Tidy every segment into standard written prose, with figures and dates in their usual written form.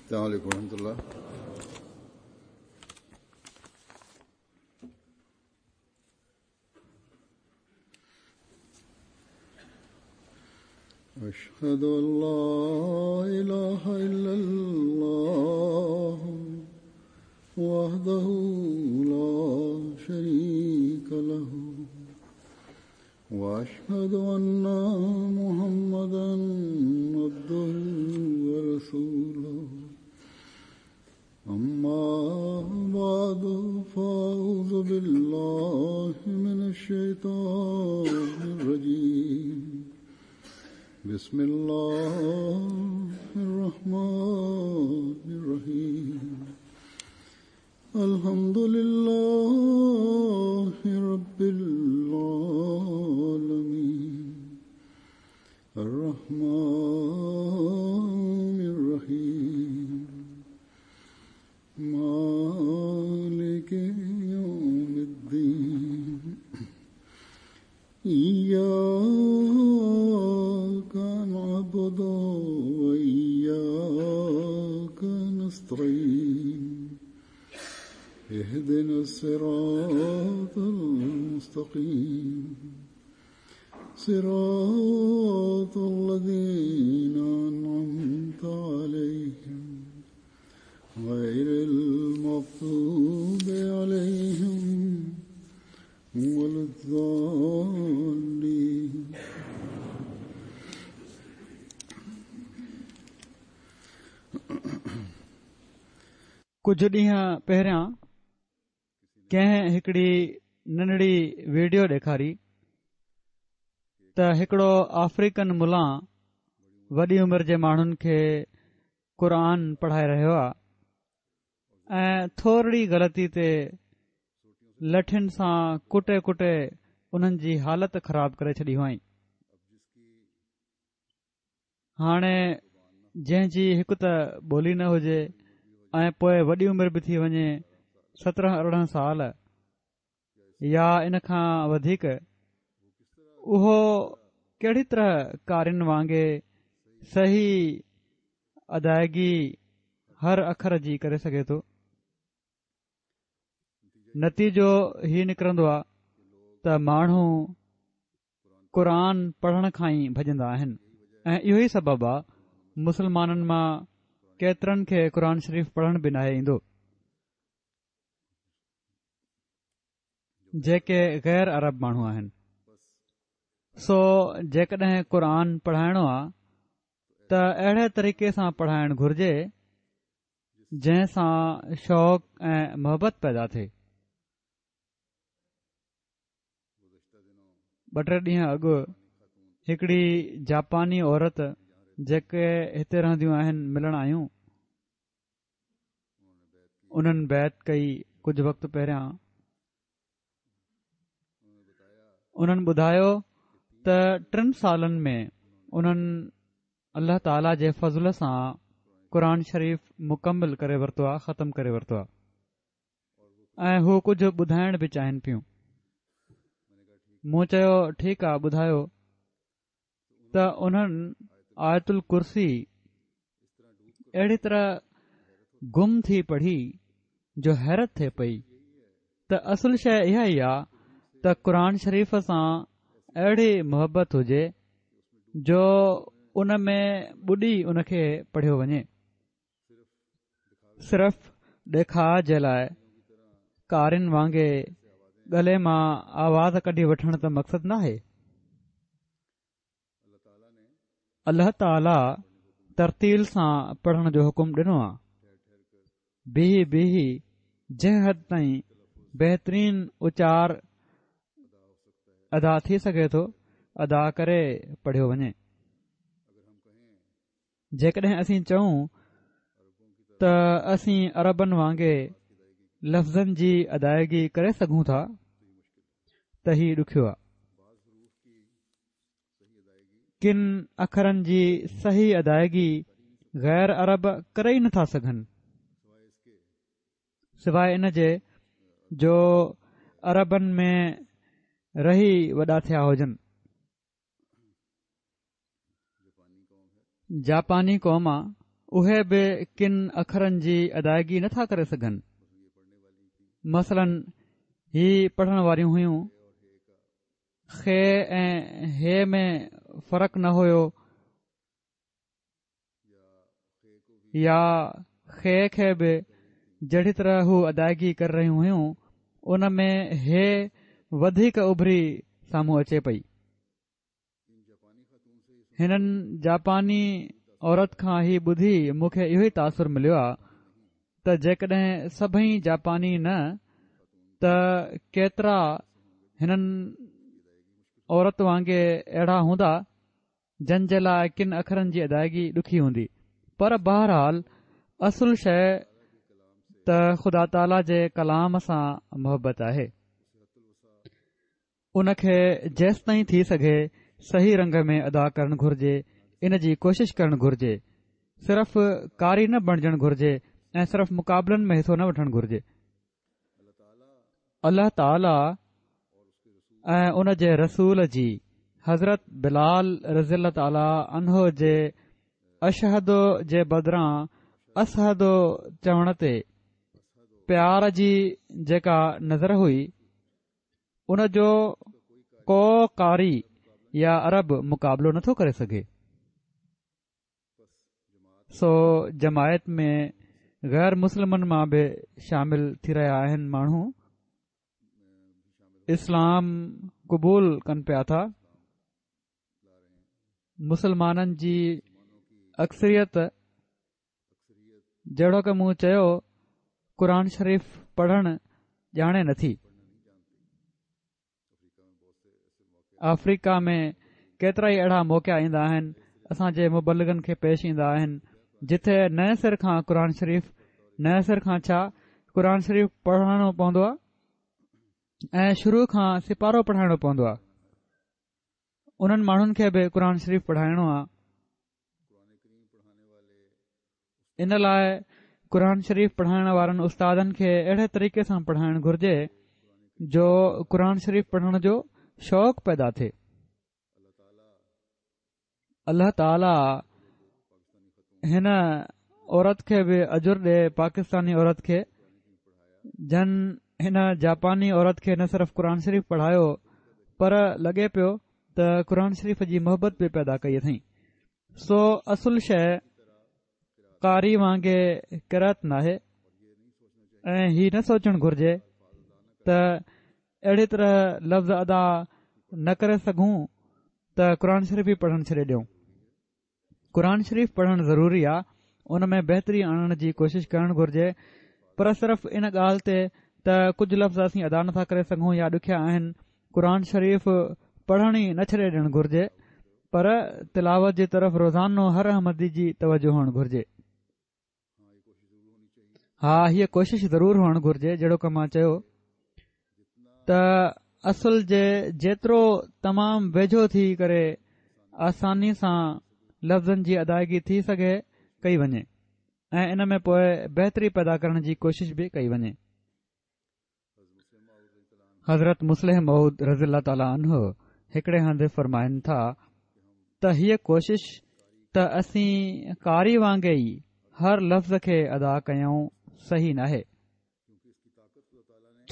السلام عليڪم ورحمة الله. أشهد أن لا إله إلا الله وحده لا شريك له وأشهد أن محمدا عبده ورسوله أما بعد فأعوذ بالله من الشيطان الرجيم بسم الله الرحمن الرحيم الحمد لله رب العالمين الرحمن الرحيم مالك يوم الدين إياك نعبد وإياك نستعين اهدنا الصراط المستقيم صراط الذين أنعمت عليهم غير المغضوب عليهم ولا الضالين. ڪجهه ڏينهن پهريان ڪنهن هڪڙي ننڍڙي ويڊيو ڏيکاري ته هڪڙو آفريڪن ملان وڏي عمر جي ماڻهن کي قرآن پڙهائي رهيو آهي ۽ ٿورڙي غلطي تي لٺين سان ڪٽي ڪٽي انهن جي حالت خراب ڪري ڇڏي هئائين. هاڻي جنهن جي هڪ ته ٻولي نه هجي ۽ پوء وڏي عمر به ٿي وڃي 17 18 سال يا ان کان وڌيڪ، اهو ڪهڙي طرح قارين وانگي صحيح ادائگي هر اکر جي ڪري سگهي ٿو؟ نتيجو هي نڪرندو آهي ته ماڻهو قرآن پڙهڻ کان ئي ڀڄندا آهن ۽ اهو ئي سبب آهي مسلمانن مان ڪيترن کي قرآن شريف پڙهڻ به ناهي ايندو جيڪي غير عرب ماڻهو آهن. سو جيڪڏهن قرآن پڙهائڻو آ ته اهڙي طريقي سان پڙهائڻ گهرجي جنهن سان شوق ۽ محبت پيدا ٿئي. ٻه ٽي ڏينهن اڳ هڪڙي جاپاني عورت جيڪي هتي رهنديون آهن ملڻ آيون. انهن بيعت ڪئي ڪجهه وقت پهريان انهن ٻڌايو ته ٽن سالن ۾ انهن الله تعاليٰ جي فضل سان قرآن شريف مڪمل ڪري ورتو آهي ختم ڪري ورتو آهي ۽ هو ڪجهه ٻڌائڻ به چاهين پيون. مون چيو ٺيڪ آ ٻڌايو ته انهن آيت الڪرسي اهڙي طرح گم ٿي پڙهي جو حيرت ٿئي پئي ته اصل شيء اها ئي آ ته قرآن شريف سان اهڙي محبت هجي جو ان ۾ ٻڏي ان کي پڙهيو وڃي. صرف ڏيکاء جي لاء قارين وانگي ڳلي مان آواز ڪڍي وٺڻ ته مقصد ناهي. الله تعاليٰ ترتيل سان پڙهڻ جو حڪم ڏنو آهي. بيهي بيهي جنهن حد تائين بهترين اچار ادا ٿي سگهي ٿو ادا ڪري پڙهيو وڃي. جيڪڏهن اسين چئون ته اسين عربن وانگي لفظن جي ادائگي ڪري سگهون ٿا ته هي ڏکيو آهي. ڪن اکرن جي صحيح ادائگي غير عرب ڪري ئي نٿا سگهن سواء ان جي جو عربن ۾ رهي وڏا ٿيا هجن. جاپاني قوم آ. اهي به ڪن اکرن جي ادائگي نٿا ڪري سگهن. مثلاً هي پڙهڻ واريون هيون، خي ۽ هي ۾ فرق نه هيو يا خي کي به جهڙي طرح هو ادائگي ڪري رهيون هيون ان ۾ هي وڌيڪ اڀري سامهون اچي پئي. هنن جاپاني عورت کان هي ٻڌي مون کي اهو ئي تاثر مليو آ ته جيڪڏهن سڀئي جاپاني نه ته ڪيترا هنن عورت وانگي اهڙا هوندا جن جي لاء ڪن اکرن جي ادائگي ڏکي هوندي پر بهرحال اصل شيء ته خدا تعاليٰ جي ڪلام سان محبت آهي. ان کي جيستائين ٿي سگهي صحيح رنگ ۾ ادا ڪرڻ گهرجي، ان جي ڪوشش ڪرڻ گهرجي، صرف قاري نه بڻجڻ گهرجي ۽ صرف مقابلن ۾ حصو نه وٺڻ گهرجي. الله تعاليٰ ۽ ان جي رسول جي حضرت بلال رضي الله تعاليٰ عنه جي اشهد جي بدران اسهد چوڻ تي پيار جي جيڪا نظر هئي ان جو ڪو قاري يا عرب مقابلو نٿو ڪري سگهي. سو جماعت ۾ غير مسلمن مان به شامل ٿي رهيا آهن ماڻهو اسلام قبول ڪن پيا ٿا مسلمانن جي اڪثريت جهڙوڪ مون چيو قرآن شريف پڙهڻ ڄاڻي نٿي. آفريڪا ۾ ڪيترائي اهڙا موقعا ايندا آهن اسان جي مبلغن کي پيش ايندا آهن جتي نئين سر کان قرآن شريف نئين سر کان ڇا قرآن شريف پڙهائڻو پوندو آهي ۽ شروع کان سپارو پڙهائڻو پوندو آهي انهن ماڻهن کي به قرآن شريف پڙهائڻو آهي ان لاء قرآن شريف پڙهائڻ وارن استادن کي اهڙي طريقي سان پڙهائڻ گهرجي جو قرآن شريف پڙهڻ جو شوق پيدا ٿئي. الله تعالي هن عورت کي به اجر ڏي پاڪستاني عورت کي جن هن جاپاني عورت کي نه صرف قرآن شريف پڙهايو پر لڳي پيو ته قرآن شريف جي محبت به پيدا ڪئي اٿئين سو اصل شيء قاري وانگي قرات ناهي ۽ هي نه سوچڻ گهرجي ته اهڙي طرح لفظ ادا نه ڪري سگهون ته قرآن شريف ئي پڙهڻ ڇڏي ڏيون قرآن شريف پڙهڻ ضروري آ ان ۾ بهتري آڻڻ جي ڪوشش ڪرڻ گهرجي پر صرف ان ڳالهه تي ته ڪجهه لفظ اسين ادا نٿا ڪري سگهون يا ڏکيا آهن قرآن شريف پڙهڻ ئي نه ڇڏي ڏيڻ گهرجي پر تلاوت جي طرف روزانو هر احمدي جي توجه هئڻ گهرجي. ها هيء ڪوشش ضرور هئڻ گهرجي جهڙوڪ مان چيو ته اصل جي جيترو تمام ويجهو ٿي ڪري آساني سان لفظن جي ادائگي ٿي سگهي ڪئي وڃي ۽ ان ۾ پوء بهتري پيدا ڪرڻ جي ڪوشش به ڪئي وڃي. حضرت مصلح موعود رضي الله تعالٰي عنه هڪڙي هنڌ فرمائن ٿا ته هيء ڪوشش ته اسين قاري وانگي ئي هر لفظ کي ادا ڪيون صحيح ناهي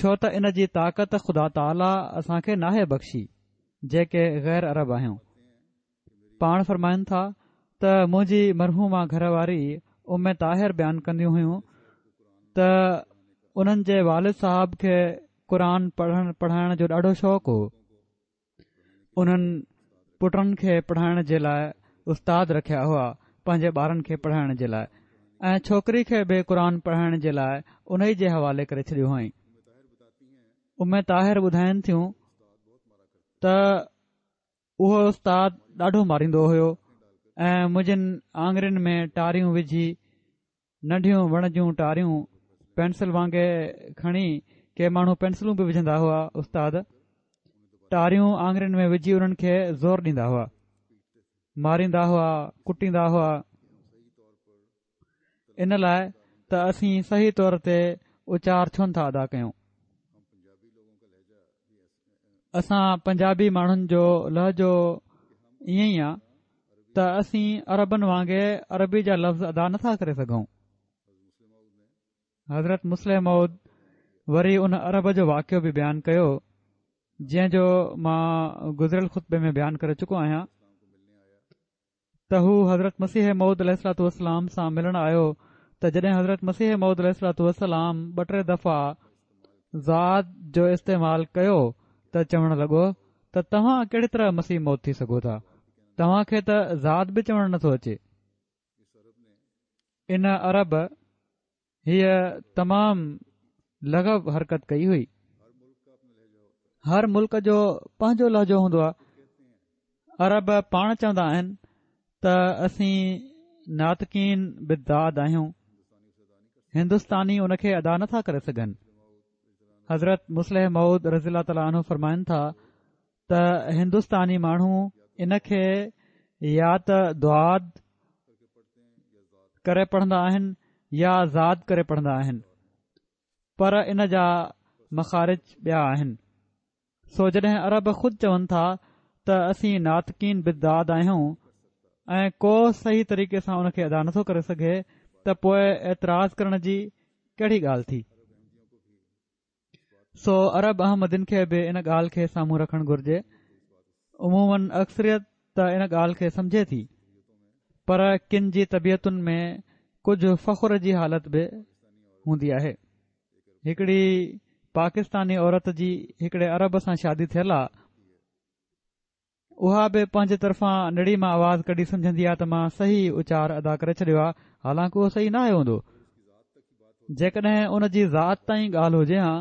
ڇو ته ان جي طاقت خدا تعاليٰ اسان کي ناهي بخشي جيڪي غير عرب آهيون پاڻ فرمائن ٿا ته منهنجي مرحومه گهر واري ام طاهر بيان ڪنديون هيون ته انهن جي والد صاحب کي قرآن پڙهڻ پڙهائڻ جو ڏاڍو شوق هو انهن پٽن کي پڙهائڻ جي لاء استاد رکيا هئا پنهنجي ٻارن کي پڙهائڻ جي لاء ۽ ڇوڪري کي به قرآن پڙهائڻ جي لاء انهي جي حوالي ڪري ڇڏيو هئائين ام طاهر ٻڌائن ٿيون ته اهو استاد ڏاڍو ماريندو هيو ۽ منهنجين آڱرين ۾ ٽاريون وجهي ننڍيون وڻ جون ٽاريون پينسل وانگي کڻي ڪي ماڻهو پينسلون به وجهندا هئا استاد ٽاريون آڱرين ۾ وجهي انهن کي زور ڏيندا هئا ماريندا هئا ڪٽيندا هئا ان لاء ته اسين صحيح طور تي اچار ڇو نٿا ادا ڪيون. اسان پنجابي ماڻهن جو لهجو ائين ئي آ. ته اسين عربن وانگي عربي جا لفظ ادا نٿا ڪري سگهون. حضرت مصلح موعود وري ان عرب جو واقعو به بيان ڪيو جنهن جو مان گذريل خطبي ۾ بيان ڪري چڪو آهيان ته هو حضرت مسيح موعود عليه الصلوة والسلام سان ملڻ آيو ته جڏهن حضرت مسيح موعود عليه الصلوة والسلام ٻه ٽي دفعا ضاد جو استعمال ڪيو ته چوڻ لڳو ته توهان ڪهڙي طرح مسيح موعود ٿي سگهو ٿا توهان کي ته ضاد به چوڻ نٿو اچي ان عرب هيء تمام لغو حرڪت ڪئي هئي. هر ملڪ جو پنهنجو لهجو هوندو آهي. عرب پاڻ چوندا آهن ته اسين ناطقين بالضاد آهيون. هندستاني ان کي ادا نٿا ڪري سگهن. حضرت مصلح موعود رضي الله تعاليٰ عنه فرمائن ٿا ته هندستاني ماڻهو ان کي يا ته ضاد ڪري پڙهندا آهن يا ضاد ڪري پڙهندا آهن پر ان جا مخارج ٻيا آهن سو جڏهن عرب خود چون ٿا ته اسين ناطقين بالضاد آهيون ۽ ڪو صحيح طريقي سان ان کي ادا نٿو ڪري سگهي ته پوء اعتراض ڪرڻ جي ڪهڙي ڳالهه ٿي سو عرب احمدين کي به ان ڳالهه کي سامهون رکڻ گهرجي. عموماً اڪثريت ته ان ڳالهه کي سمجهي ٿي پر ڪن جي طبيعتن ۾ ڪجهه فخر جي حالت به هوندي آهي. هڪڙي پاڪستاني عورت جي هڪڙي عرب سان شادي ٿيل آ. اها به پنهنجي طرفان نڙي مان آواز ڪڍي سمجهندي آهي ته مان صحيح اچار ادا ڪري ڇڏيو آهي حالانڪ اهو صحيح ناهي هوندو جيڪڏهن ان جي ذات تائين ڳالهه هجي ها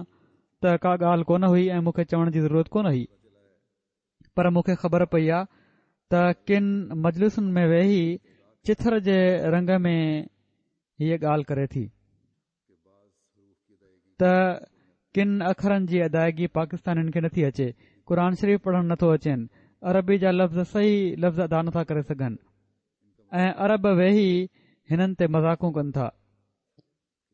ته ڪا ڳالهه ڪونه هئي ۽ مون کي چوڻ جي ضرورت ڪونه هئي پر مون کي خبر پئي آهي ته ڪن مجلسن ۾ ويهي چٿر جي رنگ ۾ هيء ڳالهه ڪري ٿي ته ڪن اکرن جي ادائگي پاڪستانين کي نٿي اچي، قرآن شريف پڙهڻ نٿو اچين، عربي جا لفظ صحيح لفظ ادا نٿا ڪري سگهن ۽ عرب ويهي هنن تي مذاقون ڪن ٿا.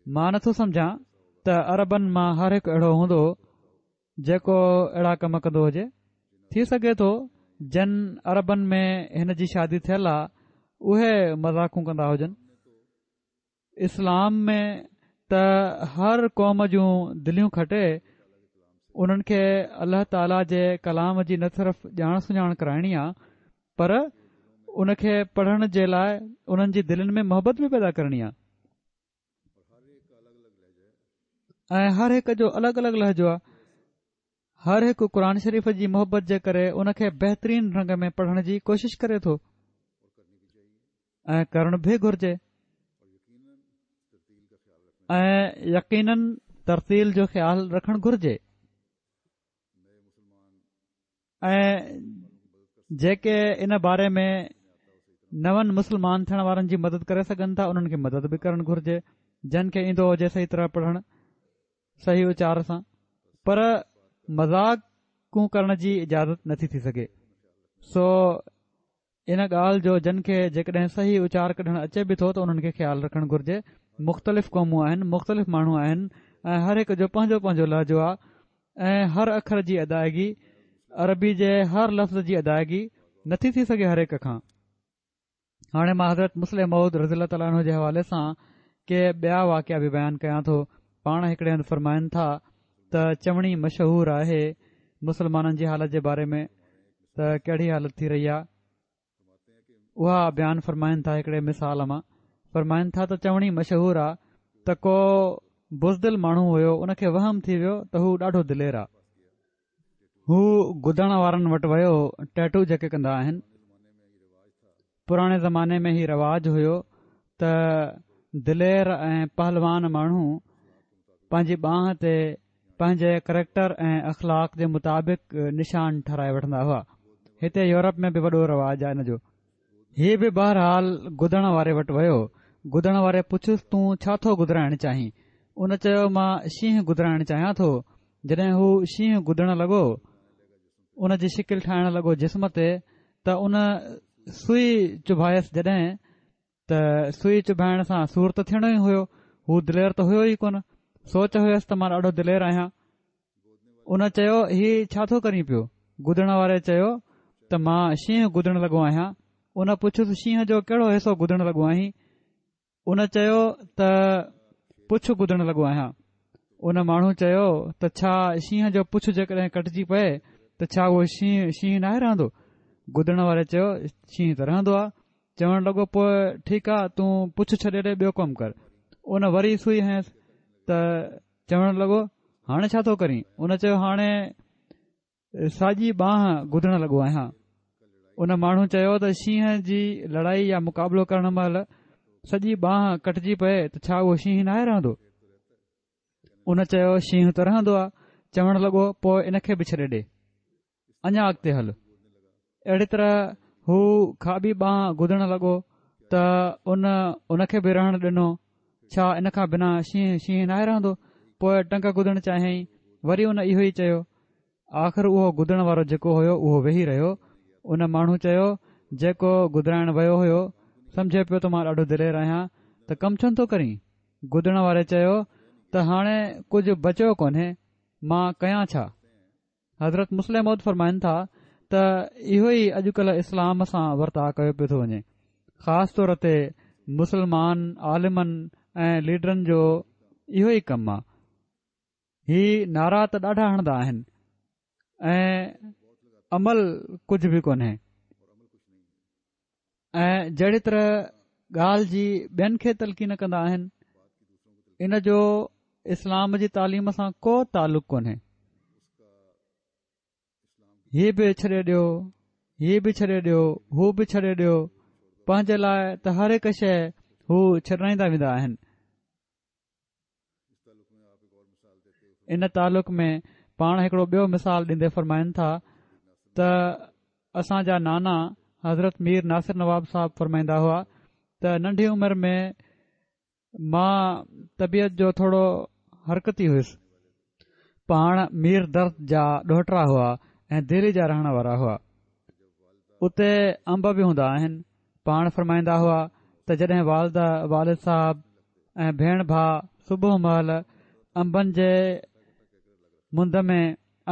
مان نٿو سمجهان ته عربن مان هر هڪ اهڙو هوندو جيڪو اهڙا ڪم ڪندو هجي. ٿي سگهي ٿو جن عربن ۾ هن جي شادي ٿيل آ اهي مذاقون ڪندا هجن. اسلام ۾ ته هر قوم جون دليون کٽي انهن کي الله تعاليٰ جي ڪلام جي نه صرف ڄاڻ سڃاڻ ڪرائڻي آ پر ان کي پڙهڻ جي لاء انهن جي دلين ۾ محبت به پيدا ڪرڻي آ ۽ هر هڪ جو الڳ الڳ لهجو آ هر هڪ قرآن شريف جي محبت جي ڪري ان کي بهترين رنگ ۾ پڙهڻ جي ڪوشش ڪري ٿو ۽ ڪرڻ به گهرجي ۽ يقينن ترتيل جو خيال رکڻ گهرجي ۽ جيڪي ان باري ۾ نون مسلمان ٿيڻ وارن جي مدد ڪري سگهن ٿا انهن کي مدد به ڪرڻ گهرجي جن کي ايندو هجي صحيح طرح پڙهڻ صحيح اچار سان پر مذاقون ڪرڻ جي اجازت نٿي ٿي سگهي سو ان ڳالهه جو جن کي جيڪڏهن صحيح اچار ڪڍڻ اچي به ٿو ته انهن کي خيال رکڻ گهرجي. مختلف قومون آهن، مختلف ماڻهو آهن ۽ هر هڪ جو پنهنجو پنهنجو لهجو آهي ۽ هر اکر جي ادائگي، عربي جي هر لفظ جي ادائگي، نٿي ٿي سگهي هر هڪ کان. هاڻي مان حضرت مصلح موعود رضي الله تعالٰي عنه جي حوالي سان ڪي ٻيا واقعا به بيان ڪيان ٿو. پاڻ هڪڙي هنڌ فرمائن ٿا ته چوڻي مشهور آهي مسلمانن جي حالت جي باري ۾ ته ڪهڙي حالت ٿي رهي آهي اها بيان فرمائن ٿا هڪڙي مثال مان فرمائن ٿا ته چوڻي مشهور آ ته ڪو بزدل ماڻهو هيو ان کي وهم ٿي ويو ته هو ڏاڍو دلير آ هو گدڻ وارن وٽ ويو ٽيٽو جيڪي ڪندا آهن پراڻي زماني ۾ هي رواج هيو ته دلير ۽ پهلوان ماڻهو پنهنجي ٻانهن تي پنهنجي ڪريڪٽر ۽ اخلاق جي مطابق نشان ٺهرائي وٺندا هئا. هتي يورپ ۾ به وڏو رواج آهي ان جو. هي به بهرحال گدڻ واري وٽ ويو. گدڻ واري پڇيس تون ڇا ٿو گدرائڻ چاهين؟ ان چيو مان شينهن گدرائڻ چاهيان ٿو. جڏهن هو شينهن گدڻ لڳو ان جي شڪل ٺاهڻ لڳو جسم تي ته ان سوئي چڀايس جڏهن ته سوئي چڀائڻ سان سور ته ٿيڻو ئي هيو هو دلير ته هيو ئي ڪونه سوچ هيس ته مان ڏاڍو دلير آهيان ان چيو هي ڇا ٿو ڪرين پيو گدڻ واري چيو ته مان شينهن گدڻ لڳو آهيان. ان پڇيس شينهن جو ڪهڙو حصو گدڻ لڳو آهين؟ ان چيو ته پڇ گدڻ لڳو آهيان. ان ماڻهو چيو ته ڇا شينهن جو پڇ جيڪڏهن ڪٽجي پئي ته ڇا اهو شينهن شينهن ناهي رهندو؟ گدڻ واري چيو شينهن ته رهندو آ. چوڻ لڳو پوء ٺيڪ آ تون پڇ ڇڏي ڏي ٻيو ڪم ڪر. ان وري سوئي هنيس ته چوڻ لڳو هاڻي ڇا ٿو ڪرين؟ ان چيو هاڻي ساڄي ٻانهن گدڻ لڳو آهيان. ان ماڻهو چيو ته شينهن جي لڙائي يا مقابلو ڪرڻ مهل سڄي ٻانهن ڪٽجي پئي ته ڇا اهو شينهن ناهي رهندو؟ ان چيو شينهن ته رهندو آ. چوڻ لڳو پوء ان کي به ڇڏي ڏي. اڃا اڳتي هل. اهڙي طرح هو کاٻي ٻانهن گدڻ لڳو ته ان ان کي به رهڻ ڏنو. ڇا ان کان بنا شينهن شينهن ناهي رهندو؟ پوء ٽنگ گدڻ چاهيائين. وري ان اهو ئي چيو. آخر اهو گدڻ وارو جيڪو هيو اهو ويهي رهيو. ان ماڻهو چيو، جيڪو گدرائڻ ويو هيو، سمجهي پيو ته مان ڏاڍو دلير آهيان ته ڪم ڇو نٿو ڪرين؟ گدڻ واري چيو ته هاڻي ڪجهه بچيو ڪونهي، مان ڪيان ڇا؟ حضرت مصلح موعود فرمائن ٿا ته اهو ئي اڄڪلهه اسلام سان ورتاء ڪيو پيو ٿو وڃي خاص طور تي مسلمان عالمن ۽ ليڊرن جو اهو ئي ڪم آ هي نعرا ته ڏاڍا هڻندا آهن ۽ عمل ڪجهه به ڪونهي ۽ جهڙي طرح ڳالهه جي ٻين کي تلقين ڪندا آهن ان جو اسلام جي تعليم سان ڪو تعلق ڪونهي هي به ڇڏي ڏيو هي به ڇڏي ڏيو هو به ڇڏي ڏيو پنهنجي لاء ته هر هڪ شيء هو ڇڏائيندا ويندا آهن ان تعلق ۾ پاڻ هڪڙو ٻيو مثال ڏيندي فرمائن ٿا ته اسان جا نانا حضرت مير ناصر نواب صاحب فرمائيندا هئا ته ننڍي عمر ۾ مان طبيعت جو ٿورو حرڪتي هيس. پاڻ مير درد جا ڏوهٽا هئا ۽ دهلي جا رهڻ وارا هئا. اتي انب به هوندا آهن. پاڻ فرمائيندا هئا ته جڏهن والده، والد صاحب ۽ ڀيڻ ڀاء صبح مهل انبن جي مند ۾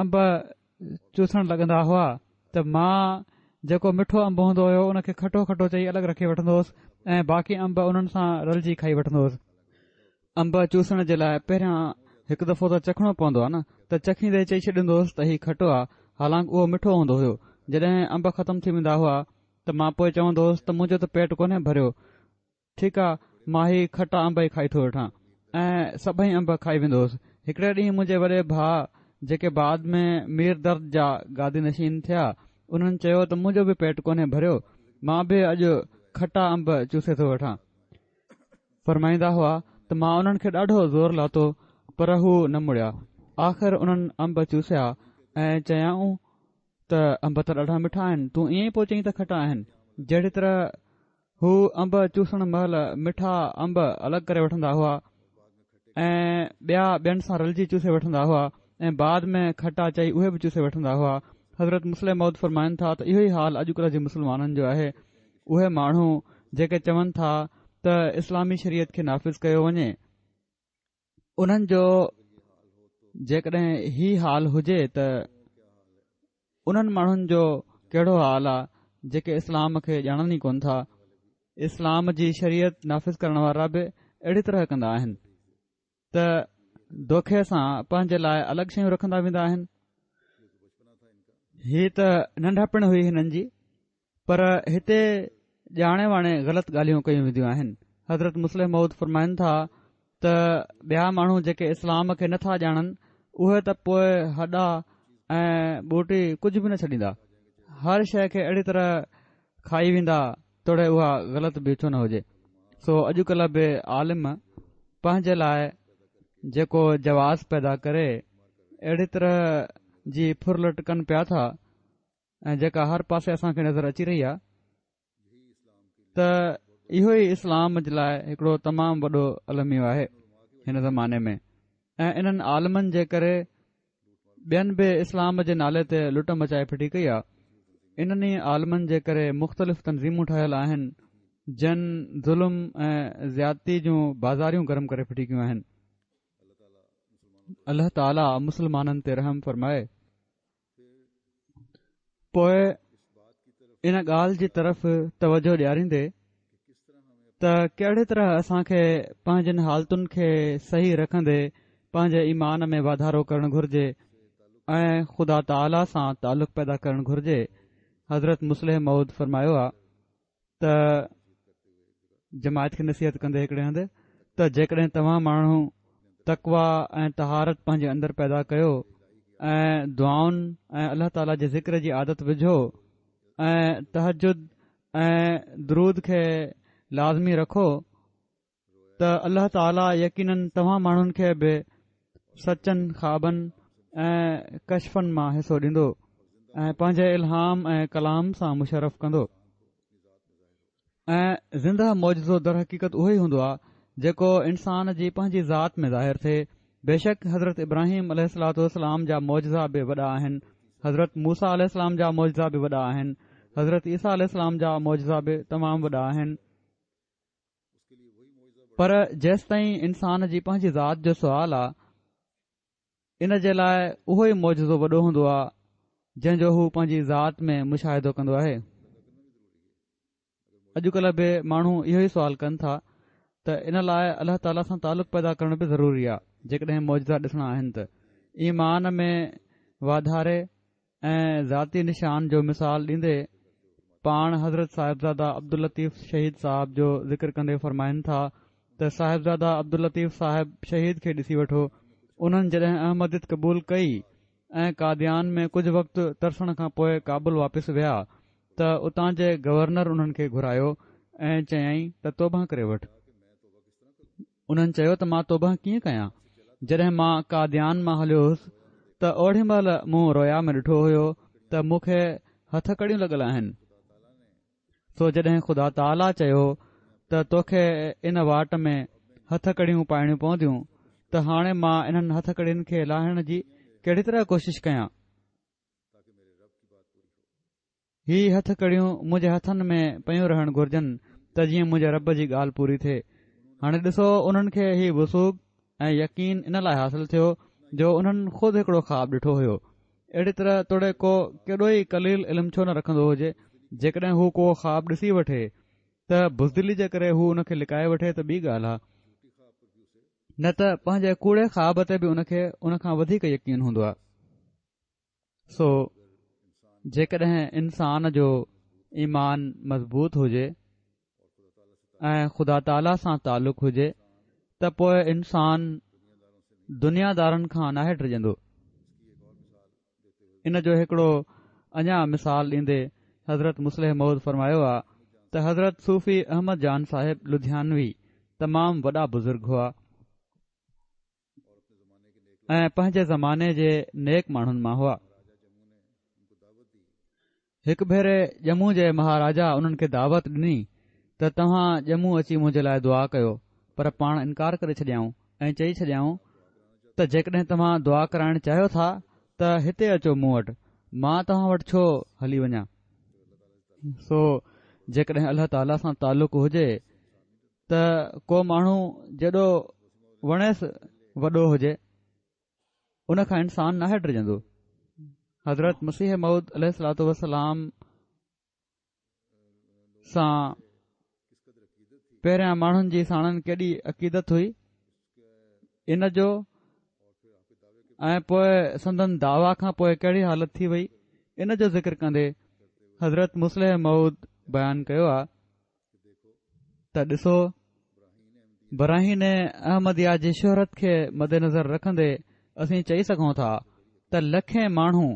انب چوسڻ لڳندا هئا ته مان جيڪو مٺو انب هوندو هيو ان کي کٽو کٽو چئي الڳ رکي وٺندو هوس ۽ باقي انب انهن سان رلجي کائي وٺندو هوس. انب چوسڻ جي لاء پهريان هڪ دفعو ته چکڻو پوندو آهي نه ته چکيندي چئي ڇڏيندو هوس ته هي کٽو آهي حالانڪ اهو مٺو هوندو هيو جڏهن انب ختم ٿي ويندا هئا ته مان پوء چوندو هوس ته منهنجو ته پيٽ ڪونهي ڀريو ٺيڪ آ مان هي کٽا انب ئي کائي ٿو وٺان ۽ سڀئي انب کائي ويندو هوس هڪڙي ڏينهن منهنجي وڏي ڀاء جيڪي بعد ۾ مير درد جا گادي نشين ٿيا انهن چيو ته منهنجو به پيٽ ڪونهي ڀريو مان به اڄ کٽا انب چوسي ٿو وٺان فرمائيندا هئا ته مان انهن کي ڏاڍو زور لاتو پر هو نه مڙيا. آخر انهن انب چوسيا ۽ چيائون ته انب ته ڏاڍا مٺا آهن، تون ائين ئي پيو چئين ته کٽا آهن. جهڙي طرح هو انب چوسڻ مهل مٺا انب الڳ ڪري وٺندا هئا ۽ ٻيا ٻين سان رلجي چوسي وٺندا هئا ۽ بعد ۾ کٽا چئي اهي به چوسي وٺندا هئا. حضرت مصلح موعود فرمائن ٿا ته اهو ئي حال اڄڪلهه جي مسلمانن جو آهي. اهي ماڻهو جيڪي چون ٿا ته اسلامي شريعت کي نافذ ڪيو وڃي انهن جو جيڪڏهن هي حال هجي ته انهن ماڻهن جو ڪهڙو حال آ جيڪي اسلام کي ڄاڻن ئي ڪون ٿا اسلام جي شريعت نافذ ڪرڻ وارا به اهڙي طرح ڪندا آهن ته دوکي سان پنهنجي لاء الڳ شيون رکندا ويندا آهن هي ته ننڍپڻ هئي هنن جي پر هتي ڄاڻي واڻي غلط ڳالهيون ڪيون وينديون آهن حضرت مصلح موعود فرمائن ٿا ته ٻيا ماڻهو جيڪي اسلام کي نٿا ڄاڻن اهي ته پوء هڏا ۽ ٻوٽي ڪجهه به نه ڇڏيندا هر شيء کي اهڙي طرح کائي ويندا توڙي اها غلط به ڇو نه هجي سو اڄڪلهه به عالم پنهنجي لاء جيڪو جواز پيدا ڪري اهڙي طرح جي ڦرلٽ ڪن پيا ٿا ۽ جيڪا هر پاسي اسان کي نظر اچي رهي آهي ته اهو ئي اسلام جي لاء هڪڙو تمام وڏو الميو آهي هن زماني ۾ ۽ انهن عالمن جي ڪري ٻين به اسلام جي نالي تي لٽ مچائي ڦٽي ڪئي آهي انهن ئي عالمن جي ڪري مختلف تنظيمون ٺهيل آهن جن ظلم ۽ زيادتي جون بازاريون گرم ڪري ڦٽي ڪيون آهن الله تعاليٰ مسلمانن تي رحم فرمائي پوء ان ڳالهه جي طرف توجه ڏياريندي ته ڪهڙي طرح اسان کي پنهنجين حالتن کي صحيح رکندي پنهنجي ايمان ۾ واڌارو ڪرڻ گهرجي ۽ خدا تعاليٰ سان تعلق پيدا ڪرڻ گهرجي. حضرت مصلح موعود فرمايو آ ته جماعت کي نصيحت ڪندي هڪڙي هنڌ ته جيڪڏهن توهان ماڻهو تقويٰ ۽ طهارت پنهنجي اندر پيدا ڪيو ۽ دعائن ۽ الله تعاليٰ جي ذڪر جي عادت وجهو ۽ تهجد ۽ درود کي لازمي رکو ته الله تعاليٰ يقيناً توهان ماڻهن کي به سچن خوابن ۽ ڪشفن مان حصو ڏيندو ۽ پنهنجي الهام ۽ ڪلام سان مشرف ڪندو ۽ زنده معجزو در حقيقت اهو ئي هوندو آهي جيڪو انسان جي پنهنجي ذات ۾ ظاهر ٿئي بيشڪ حضرت ابراهيم عليه الصلوة والسلام جا معجزا به وڏا آهن حضرت موسيٰ عليه السلام جا معجزا به وڏا آهن حضرت عيسيٰ عليه السلام جا معجزا به تمام وڏا آهن پر جيستائين انسان جي پنهنجي ذات جو سوال آ ان جي لاء اهو ئي معجزو وڏو هوندو آ جنهن جو هو پنهنجي ذات ۾ مشاهدو ڪندو آهي. اڄڪلهه به ماڻهو اهو ئي سوال ڪن ٿا ته ان لاء الله تعاليٰ سان تعلق پيدا ڪرڻ به ضروري آ جيڪڏهن معجزا ڏسڻا آهن ته ايمان ۾ واڌاري ۽ ذاتي نشان جو مثال ڏيندي پاڻ حضرت صاحبزاده عبداللطيف شهيد صاحب جو ذڪر ڪندي فرمائن ٿا ته صاحبزاده عبداللطيف صاحب شهيد کي ڏسي وٺو انهن جڏهن احمديت قبول ڪئي ۽ قاديان ۾ ڪجهه وقت ترسڻ کان پوء ڪابل واپس ويا ته اتان جي گورنر انهن کي گهرايو ۽ چيائين ته توبه ڪري وٺ. انهن چيو ته مان توبه ڪيئن ڪيان؟ جڏهن مان قاديان مان هليو هوس ته اوڏي مهل مون رويا ۾ ڏٺو هيو ته مون کي هٿ ڪڙيون لڳل آهن. سو جڏهن خدا تعاليٰ چيو ته توکي ان واٽ ۾ هٿ ڪڙيون پائڻيون پونديون ته هاڻي مان انهن هٿ ڪڙين کي لاهڻ جي ڪهڙي طرح ڪوشش ڪيان؟ هي هٿ ڪڙيون منهنجي هٿن ۾ پيون رهڻ گهرجن ته جيئن منهنجي رب جي ڳالهه پوري ٿئي. هاڻي ڏسو انهن کي هي وثوق ۽ يقين ان لاء حاصل ٿيو جو انهن خود هڪڙو خواب ڏٺو هيو. اهڙي طرح توڙي ڪو ڪيڏو ئي قليل علم ڇو نه رکندو هجي جيڪڏهن هو ڪو خواب ڏسي وٺي ته بزدلي جي ڪري هو ان کي لڪائي وٺي ته ٻي ڳالهه آ نه ته پنهنجي ڪوڙي خواب تي به ان کي ان کان وڌيڪ يقين هوندو آ. سو جيڪڏهن انسان جو ايمان مضبوط هجي ۽ خدا تعاليٰ سان تعلق هجي ته پوء انسان دنيا دارن کان ناهي ڊڄندو. ان جو هڪڙو اڃا مثال ڏيندي حضرت مصلح موعود فرمايو آ ته حضرت صوفي احمد جان صاحب لڌيانوي تمام وڏا بزرگ هئا. ۽ پنهنجي زماني جي نيڪ ماڻهن مان هئا. هڪ ڀيري ڄمون جي مهاراجا انهن کي دعوت ڏني ته توهان ڄمون اچي منهنجي لاء دعا ڪيو پر پاڻ انڪار ڪري ڇڏيائون ۽ چئي ڇڏيائون ته جيڪڏهن توهان دعا ڪرائڻ چاهيو ٿا ته هتي اچو مون وٽ مان توهان وٽ ڇو هلي وڃان. سو جيڪڏهن الله تعاليٰ سان تعلق هجي ته ڪو ماڻهو جيڏو وڻيس وڏو هجي ان کان انسان ناهي ڊڄندو. حضرت مسيح موعود عليه الصلوة والسلام سان پهريان ماڻهن جي ساڻن ڪيڏي عقيدت هئي ان جو ۽ پوء سندن دعويٰ کان پوء ڪهڙي حالت ٿي وئي ان جو ذڪر ڪندي حضرت مصلح موعود بيان ڪيو آ ته ڏسو براهين احمديه جي شهرت کي مدنظر رکندي اسين چئي سگهون ٿا ته لکين ماڻهو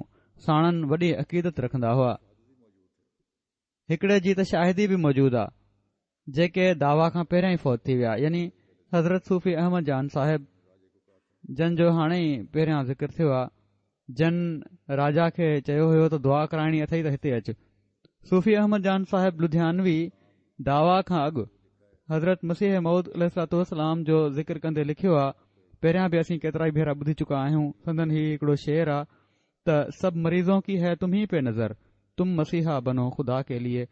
ساڻن وڏي عقيدت رکندا هئا. هڪڙي جي ته شاهدي به موجود آ جيڪي دعويٰ کان پهريان ئي فوت ٿي ويا يعني حضرت صوفي احمد جان صاحب جن جو هاڻي ئي پهريان ذڪر ٿيو آ. جن راجا کي چيو هيو ته دعا ڪرائڻي اٿئي ته هتي اچ. صوفي احمد جان صاحب لڌيانوي دعويٰ کان اڳ حضرت مسيح موعود عليه الصلوة والسلام جو ذڪر ڪندي لکيو آ، پهريان به اسين ڪيترائي ڀيرا ٻڌي چڪا آهيون، سندن هي هڪڙو شعر آ ته سب مريضون ڪي هي تم هي پي نظر، تم مسيحا بنو خدا ڪي ليي.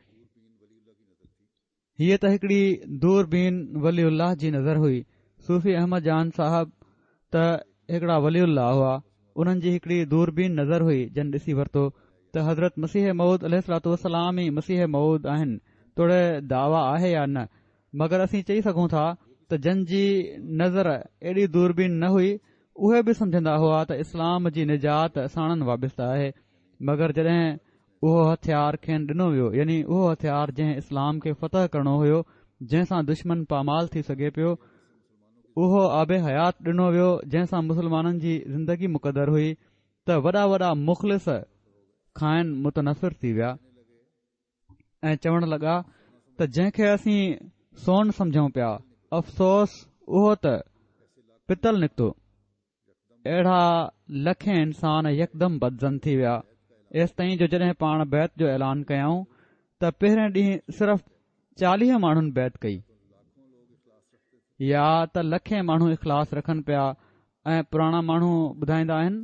هيء ته هڪڙي دور بين ولي الله جي نظر هئي. صوفي احمد جان صاحب ته هڪڙا ولي الله هئا. انهن جي هڪڙي دوربين نظر هئي جن ڏسي ورتو. ته حضرت مسيح موعود عليه الصلوة والسلام ئي مسيح موعود آهن توڙي دعويٰ آهي يا نه مگر اسين چئي سگهون ٿا ته جن جي نظر ايڏي دوربين نه هئي اهي به سمجهندا هئا ته اسلام جي نجات ساڻن وابسته آهي مگر جڏهن اهو هٿيار کين ڏنو ويو يعني اهو هٿيار جنهن اسلام کي فتح ڪرڻو هيو جنهن سان دشمن پامال ٿي سگهي پيو اهو آب حيات ڏنو ويو جنهن سان مسلمانن جي زندگي مقدر هئي ته وڏا وڏا مخلص کانئن متنفر ٿي ويا ۽ چوڻ لڳا ته جنهن کي اسين سون سمجهون پيا افسوس اهو ته پتل نڪتو اهڙا لکين انسان يڪدم بدظن ٿي ويا، ايستائين جو جڏهن پاڻ بيعت جو اعلان ڪيائون ته پهرين ڏينهن صرف 40 ماڻهن بيعت ڪئي يا ته لکين ماڻهو اخلاص رکن پيا ۽ پراڻا ماڻهو ٻڌائيندا آهن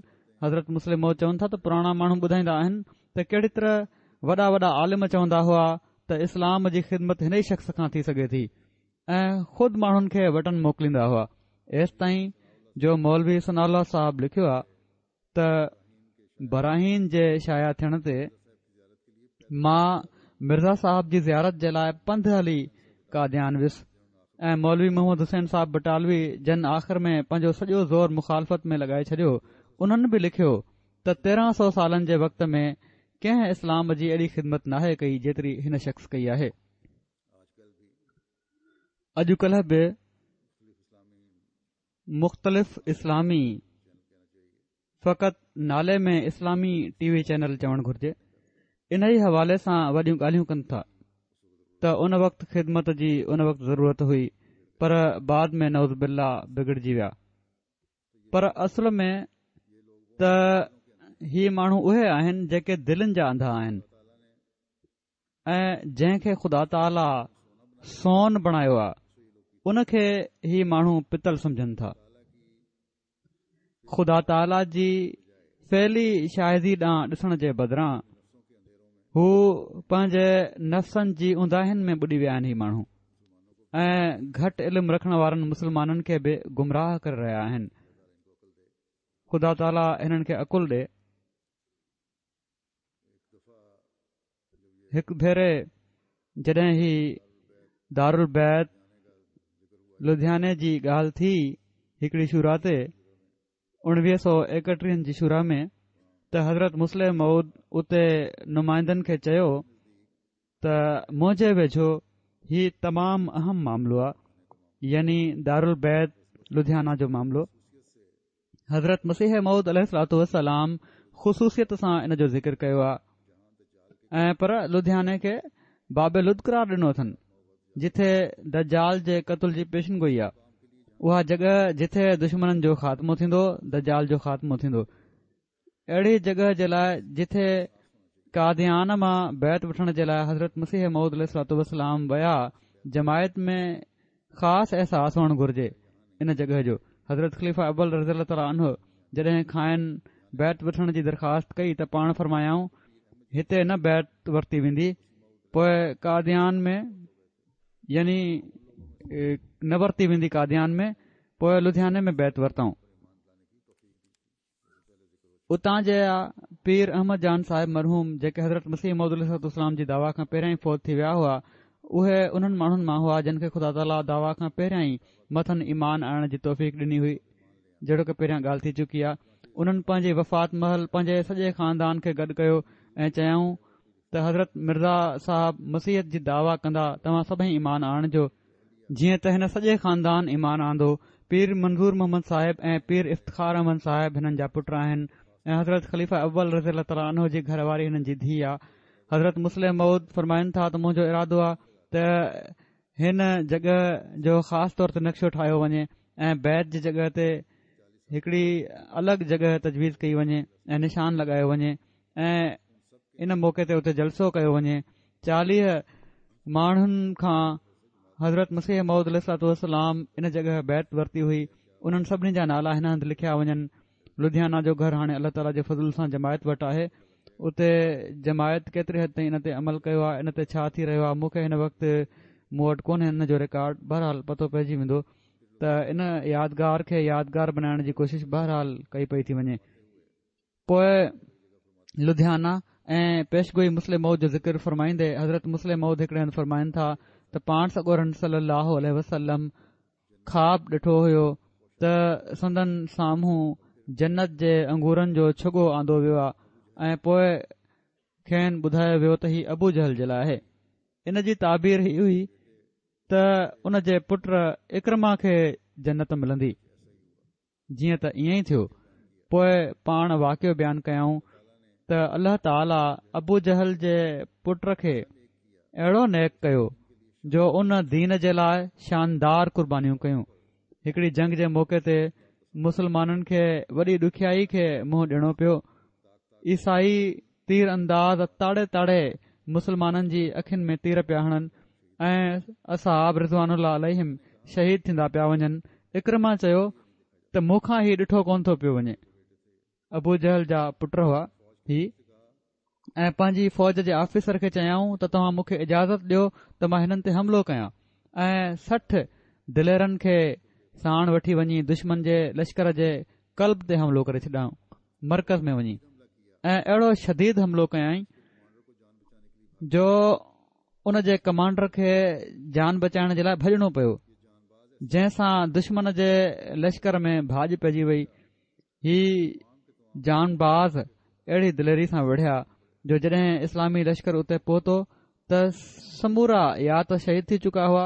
حضرت مصلح موعود چون ٿا ته پراڻا ماڻهو ٻڌائيندا آهن ته ڪهڙي طرح وڏا وڏا عالم چوندا هئا ته اسلام جي خدمت هن ئي شخص کان ٿي سگهي ٿي ۽ خود ماڻهن کي وٽن موڪليندا هئا ايستائين جو مولوي ثناء الله صاحب لکيو آ ته براهين جي شايع ٿيڻ تي مان مرزا صاحب جي زيارت جي لاء پنڌ هلي قاديان ويس ۽ مولوي محمد حسين صاحب بٽالوي جن آخر ۾ پنهنجو سڄو زور مخالفت ۾ لڳائي ڇڏيو انهن به لکيو ته 1300 سالن جي وقت ۾ ڪنهن اسلام جي اهڙي خدمت ناهي ڪئي جيتري هن شخص ڪئي آهي اڄڪلهه به مختلف اسلامي فقط نالي ۾ اسلامي ٽي وي چينل چوڻ گهرجي ان ئي حوالي سان وڏيون ڳالهيون ڪن ٿا ته ان وقت خدمت جي ان وقت ضرورت هئي پر بعد ۾ نعوذ بالله بگڙجي ويا پر اصل ۾ ته هي ماڻهو اهي آهن جيڪي دلن جا انڌا آهن ۽ جنهن کي خدا تعاليٰ سون بڻايو آهي ان کي هي ماڻهو پتل سمجهن ٿا خدا تعاليٰ جي فعلي شاهدي ڏانهن ڏسڻ جي بدران هو پنهنجي نفسن جي اونداهين ۾ ٻڏي ويا آهن هي ماڻهو ۽ گهٽ علم رکڻ وارن مسلمانن کي به گمراهه ڪري رهيا آهن خدا تعاليٰ هنن کي عقل ڏي هڪ ڀيري جڏهن هي دارالبيعت لڌياني جي ڳالهه ٿي هڪڙي شورا تي 1931 جي شورا ۾ ته حضرت مصلح موعود اتي نمائندن کي چيو ته منهنجي ويجهو هي تمام اهم معاملو آهي يعني دارالبيعت لڌيانا جو معاملو حضرت مسيح موعود عليه الصلوة والسلام خصوصيت سان ان جو ذڪر ڪيو آهي ۽ پر لڌياني کي باب لد قرار ڏنو اٿن جتي دجال جي قتل جي پيشن گوئي آهي اها جڳهه جتي دشمنن جو خاتمو ٿيندو دجال جو خاتمو ٿيندو اهڙي جڳهه جي لاء جتي قاديان مان بيعت وٺڻ جي لاء حضرت مسيح موعود عليه الصلوة والسلام ويا جماعت ۾ خاص احساس هئڻ گهرجي ان جڳهه جو حضرت خليفه اول رضي الله تعالٰي عنه جڏهن کانئن بيعت وٺڻ جي درخواست ڪئي ته پاڻ فرمايائون هتي نه بيعت ورتي ويندي پوء قاديان ۾ يعني نه ورتي ويندي قاديان ۾ پوء لڌياني ۾ بيعت ورتائون اتان جا پير احمد جان صاحب مرحوم جيڪي حضرت مسيح موعود عليه الصلوة والسلام جي دعويٰ کان پهريان ئي فوت ٿي ويا هئا اهي انهن ماڻهن مان هئا جن کي خدا تعاليٰ دعويٰ کان پهريان ئي مٿن ايمان آڻڻ جي توفيق ڏني هئي جهڙوڪ پهريان ڳالهه ٿي چڪي آهي انهن پنهنجي وفات مهل پنهنجي سڄي خاندان کي گڏ ڪيو ۽ چيائون ته حضرت مرزا صاحب مسيحيت جي دعويٰ ڪندا توهان سڀئي ايمان آڻجو. جيئن ته هن سڄي خاندان ايمان آندو. پير منظور محمد صاحب ۽ پير افتخار احمد صاحب هنن جا پٽ آهن ۽ حضرت خليفه اول رضي الله تعالٰي عنه جي گهر واري هنن جي ڌيء آ. حضرت مصلح موعود فرمائن ٿا ته منهنجو ارادو آ ته هن جڳهه جو خاص طور تي نقشو ٺاهيو وڃي ۽ بيعت جي جڳهه تي هڪڙي الڳ جڳهه تجويز ڪئي وڃي ۽ نشان لڳايو وڃي ۽ ان موقعي تي اتي جلسو ڪيو وڃي 40 ماڻهن کان حضرت مسيح موعود عليه الصلوة والسلام ان جڳهه بيعت ورتي هئي انهن سڀني جا نالا هن هنڌ لکيا وڃن لڌيانا جو گهر هاڻي الله تعاليٰ جي فضل سان جماعت وٽ آهي اتي جماعت ڪيتري حد تائين ان تي عمل ڪيو آهي ان تي ڇا ٿي رهيو آهي مون کي هن وقت مون وٽ ڪونهي ان جو رڪارڊ بهرحال پتو پئجي ويندو ته ان يادگار کي يادگار بنائڻ جي ڪوشش بهرحال ڪئي پئي ٿي وڃي پوء لڌيانا ۽ پيشگوئي مصلح موعود جو ذڪر فرمائيندي حضرت مصلح موعود هڪڙي هنڌ فرمائن ٿا ته پاڻ سڳورن صلي الله عليه وسلم خواب ڏٺو هيو ته سندن سامهون جنت جي انگورن جو ڇڳو آندو ويو آهي ۽ پوء کين ٻڌايو ويو ته هي ابو جهل جي لاء آهي. ان جي تعبير هي هئي ته ان جي پٽ عڪرمه کي جنت ملندي. جيئن ته ائين ئي ٿيو. پوء پاڻ واقعو بيان ڪيائون ته الله تعاليٰ ابو جهل جي پٽ کي اهڙو نيڪ ڪيو جو ان دين جي لاء شاندار قربانيون ڪيون. هڪڙي جنگ جي موقعي تي مسلمانن کي وڏي ڏکيائي کي منهن ڏيڻو پيو. عيسائي تير انداز تاڙي تاڙي مسلمانن جي اکين ۾ تير پيا هڻن ۽ اصحاب رضوان الله عليهم شهيد ٿيندا پيا وڃن. عڪرمه چيو ته مون کان هي ڏٺو ڪونه ٿو پيو وڃي. ابو جهل جا پٽ هئا هي ۽ پنهنجي فوج جي آفيسر کي چيائون ته توهان مون کي اجازت ڏيو ته مان هنن تي حملو ڪيان ۽ 60 دليرن کي ساڻ وٺي وڃي دشمن جي لشڪر جي قلب تي حملو ڪري ڇڏيائون. مرڪز ۾ وڃي ۽ اهڙو شديد حملو ڪيائين جو ان جي ڪمانڊر کي جان بچائڻ جي لاء ڀڄڻو پيو جنهن سان دشمن جي لشڪر ۾ ڀاڄ پئجي وئي. هي جان باز اهڙي دليري سان وڙهيا جو جڏهن اسلامي لشڪر اتي پهتو ته سمورا يا ته شهيد ٿي چڪا هئا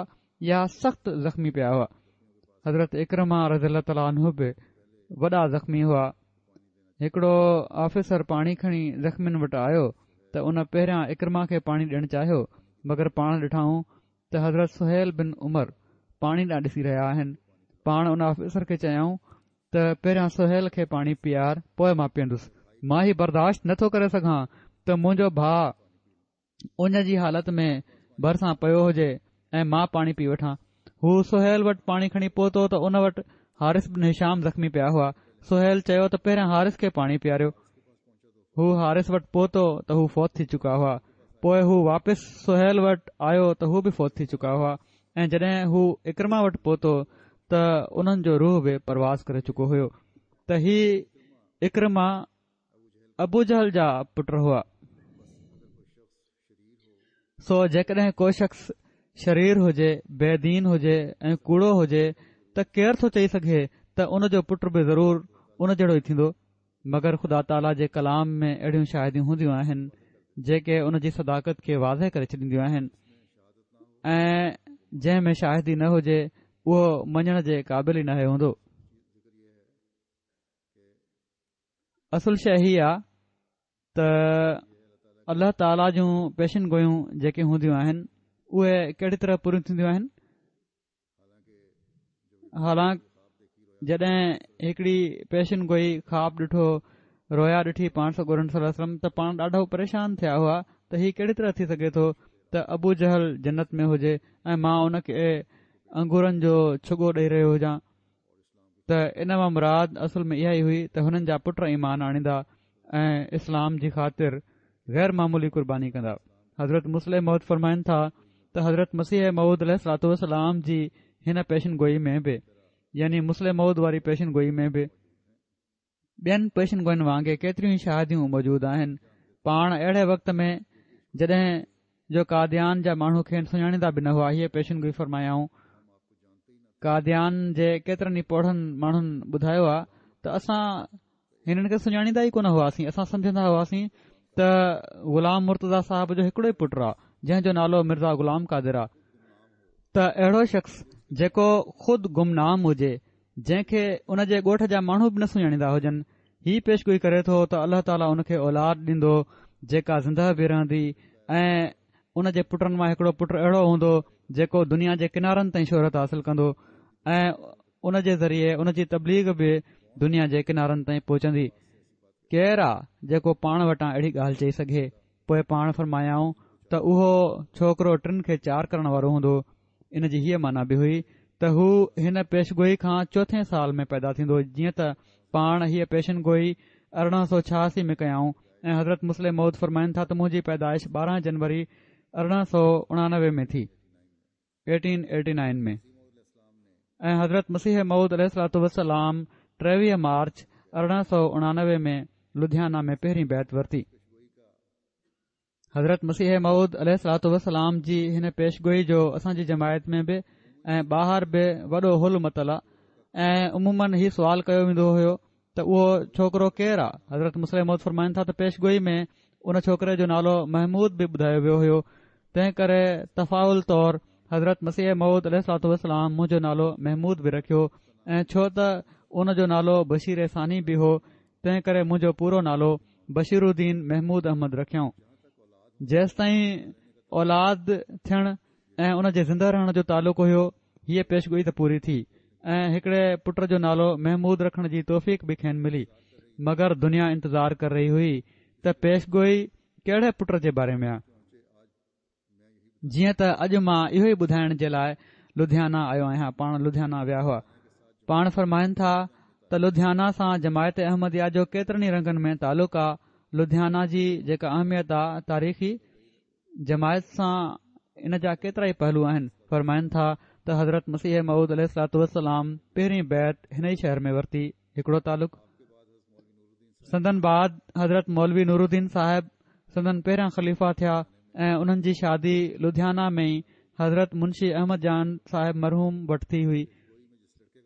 يا سخت زخمي پيا هئا. حضرت عڪرمه رضي الله تعالٰي عنه به وڏا زخمي هئا. هڪڙو آفيسر پاڻي کڻي زخمين وٽ آيو ته ان پهريان عڪرمه کي پاڻي ڏيڻ چاهيو مگر پاڻ ڏٺائون ته حضرت سهيل بن عمرو پاڻي ڏانهن ڏسي رهيا آهن. پاڻ ان آفيسر کي چيائون ته پهريان سهيل کي پاڻي پيار پوء مان پيئندس. مان هي برداشت نه ٿو ڪري سگهان ته منهنجو ڀاء اڃ جي حالت ۾ ڀرسان پيو هجي ۽ مان پاڻي پي وٺان. هو سهيل وٽ پاڻي کڻي پهتو ته ان وٽ حارث بن هشام زخمي پيا هئا. سهيل چيو ته پهريان حارث کي پاڻي پياريو. هو حارث وٽ پهتو ته هو فوت ٿي چڪا هئا. پوء هو واپس سهيل وٽ آيو ته هو به فوت ٿي چڪا هئا ۽ جڏهن هو عڪرمه وٽ پهتو ته انهن جو روح به پرواز ڪري چڪو هيو ته هي عڪرمه ابوجهل جا پٽ هئا. سو جيڪڏهن ڪو شخص شرير هجي، بي دين هجي ۽ ڪوڙو هجي ته ڪير ٿو چئي سگهي ته ان جو پٽ به ضرور ان جهڙو ئي ٿيندو. مگر خدا تعاليٰ جي ڪلام ۾ اهڙيون شاهديون هونديون آهن جيڪي ان جي صداقت کي واضح ڪري ڇڏينديون آهن ۽ جنهن ۾ شاهدي نه هجي اهو مڃڻ جي قابل ئي ناهي هوندو. اصل شيء هي آ ته الله تعاليٰ جون پيشن گوئيون جيڪي هونديون آهن اهي ڪهڙي طرح پوريون ٿينديون آهن. حالانڪ جڏهن هڪڙي پيشن گوئي خواب ڏٺو، رويا ڏٺي پاڻ سڳورن صلي الله عليه وسلم ته پاڻ ڏاڍو پريشان ٿيا هئا ته هي ڪهڙي طرح ٿي سگهي ٿو ته ابو جهل جنت ۾ هجي ۽ مان ان کي انگورن جو ڇڳو ڏئي رهيو هجان. ته ان مان مراد اصل ۾ اها ئي هئي ته هنن جا پٽ ايمان آڻيندا ۽ اسلام جي خاطر غير معمولي قرباني ڪندا. حضرت مصلح موعود فرمائن ٿا ته حضرت مسيح موعود عليه الصلوة والسلام جي هن پيشن گوئي ۾ به يعني مصلح موعود واري پيشن گوئي ۾ به ٻين پيشن گوئين وانگي ڪيتريون ئي شاهديون موجود آهن. پاڻ اهڙي وقت ۾ جڏهن جو قاديان جا ماڻهو کين سڃاڻيندا به نه هئا هيء پيشن گوئي فرمايائون. قاديان جي ڪيترن ئي پوڙهن ماڻهن ٻڌايو آهي ته اسان هنن کي سڃاڻيندا ئي ڪونه هئاسين اسان سمجهندا هئاسين ته غلام مرتضيٰ صاحب جو هڪڙو ئي پٽ آهي جنهن جو نالو مرزا غلام قادر آهي ته اهڙو شخص جيڪو خود گمنام هجي جنهن کي ان جي ڳوٺ جا ماڻهو به نه سڃاڻيندا هجن، هي پيشگوئي ڪري ٿو ته الله تعاليٰ ان کي اولاد ڏيندو جيڪا زندهه به رهندي ۽ ان جي پٽن مان هڪڙو پٽ اهڙو هوندو جيڪو دنيا جي ڪنارن تائين شهرت حاصل ڪندو ۽ ان جي ذريعي ان جي تبليغ به دنيا جي ڪنارن تائين پهچندي. ڪير آ جيڪو پاڻ وٽان اهڙي ڳالهه چئي سگهي؟ پوء پاڻ فرمايائون ته اهو ڇوڪرو ٽن کي چار ڪرڻ وارو هوندو. ان جي هيء معنيٰ به هئي ته هو هن پيشگوئي کان چوٿين سال ۾ پيدا ٿيندو جيئن ته پاڻ هيء پيشن گوئي 1886 ۾ ڪيائون ۽ حضرت مصلح موعود فرمائن ٿا ته منهنجي پيدائش 12 جنوري 1899 ۾ ٿي، 1889 ۾، ۽ حضرت مسيح موعود عليه الصلوة والسلام 23 مارچ 1899 ۾ لڌيانا ۾ پهرين بيعت ورتي. حضرت مسيح موعود عليه الصلوة والسلام جي هن پيشگوئي جو اسان جي جماعت ۾ به ۽ ٻاهر به وڏو هل متل آ ۽ عموماً هي سوال ڪيو ويندو هيو ته اهو ڇوڪرو ڪير آ؟ حضرت مصلح موعود فرمائن ٿا ته پيشگوئي ۾ ان ڇوڪري جو نالو محمود به ٻڌايو ويو هيو تنهن ڪري تفاؤل طور حضرت مسيح موعود عليه الصلوة والسلام منهنجو نالو محمود به رکيو ۽ ڇو ته ان جو نالو بشير ثاني به هو تنهن ڪري منهنجو پورو نالو بشير الدين محمود احمد رکيائون. جيستائين اولاد ٿيڻ ۽ ان جي زنده رهڻ جو تعلق هيو هيء پيشگوئي ته پوري ٿي ۽ هڪڙي پٽ جو نالو محمود رکڻ جي توفيق به کين ملي مگر دنيا انتظار ڪري رهي هئي ته پيشگوئي ڪهڙي پٽ جي باري ۾ آ. جيئن ته اڄ مان اهو ئي ٻڌائڻ جي لاء لڌيانا آيو آهيان پاڻ لڌيانا ويا هئا پاڻ فرمائن ٿا ته لڌيانا سان جماعت احمديه جو ڪيترن ئي رنگن ۾ تعلق آ لڌيانا جي جيڪا اهميت آ تاريخي جماعت سان ان جا ڪيترائي پهلو آهن فرمائن ٿا ته حضرت مسيح موعود عليه الصلوة والسلام پهرين بيعت هن ئي شهر ۾ ورتي هڪڙو تعلق سندن بعد حضرت مولوي نور الدين صاحب سندن پهريان خليفا ٿيا ۽ انهن جي شادي لڌيانا ۾ ئي حضرت منشي احمد جان صاحب مرحوم وٽ ٿي هئي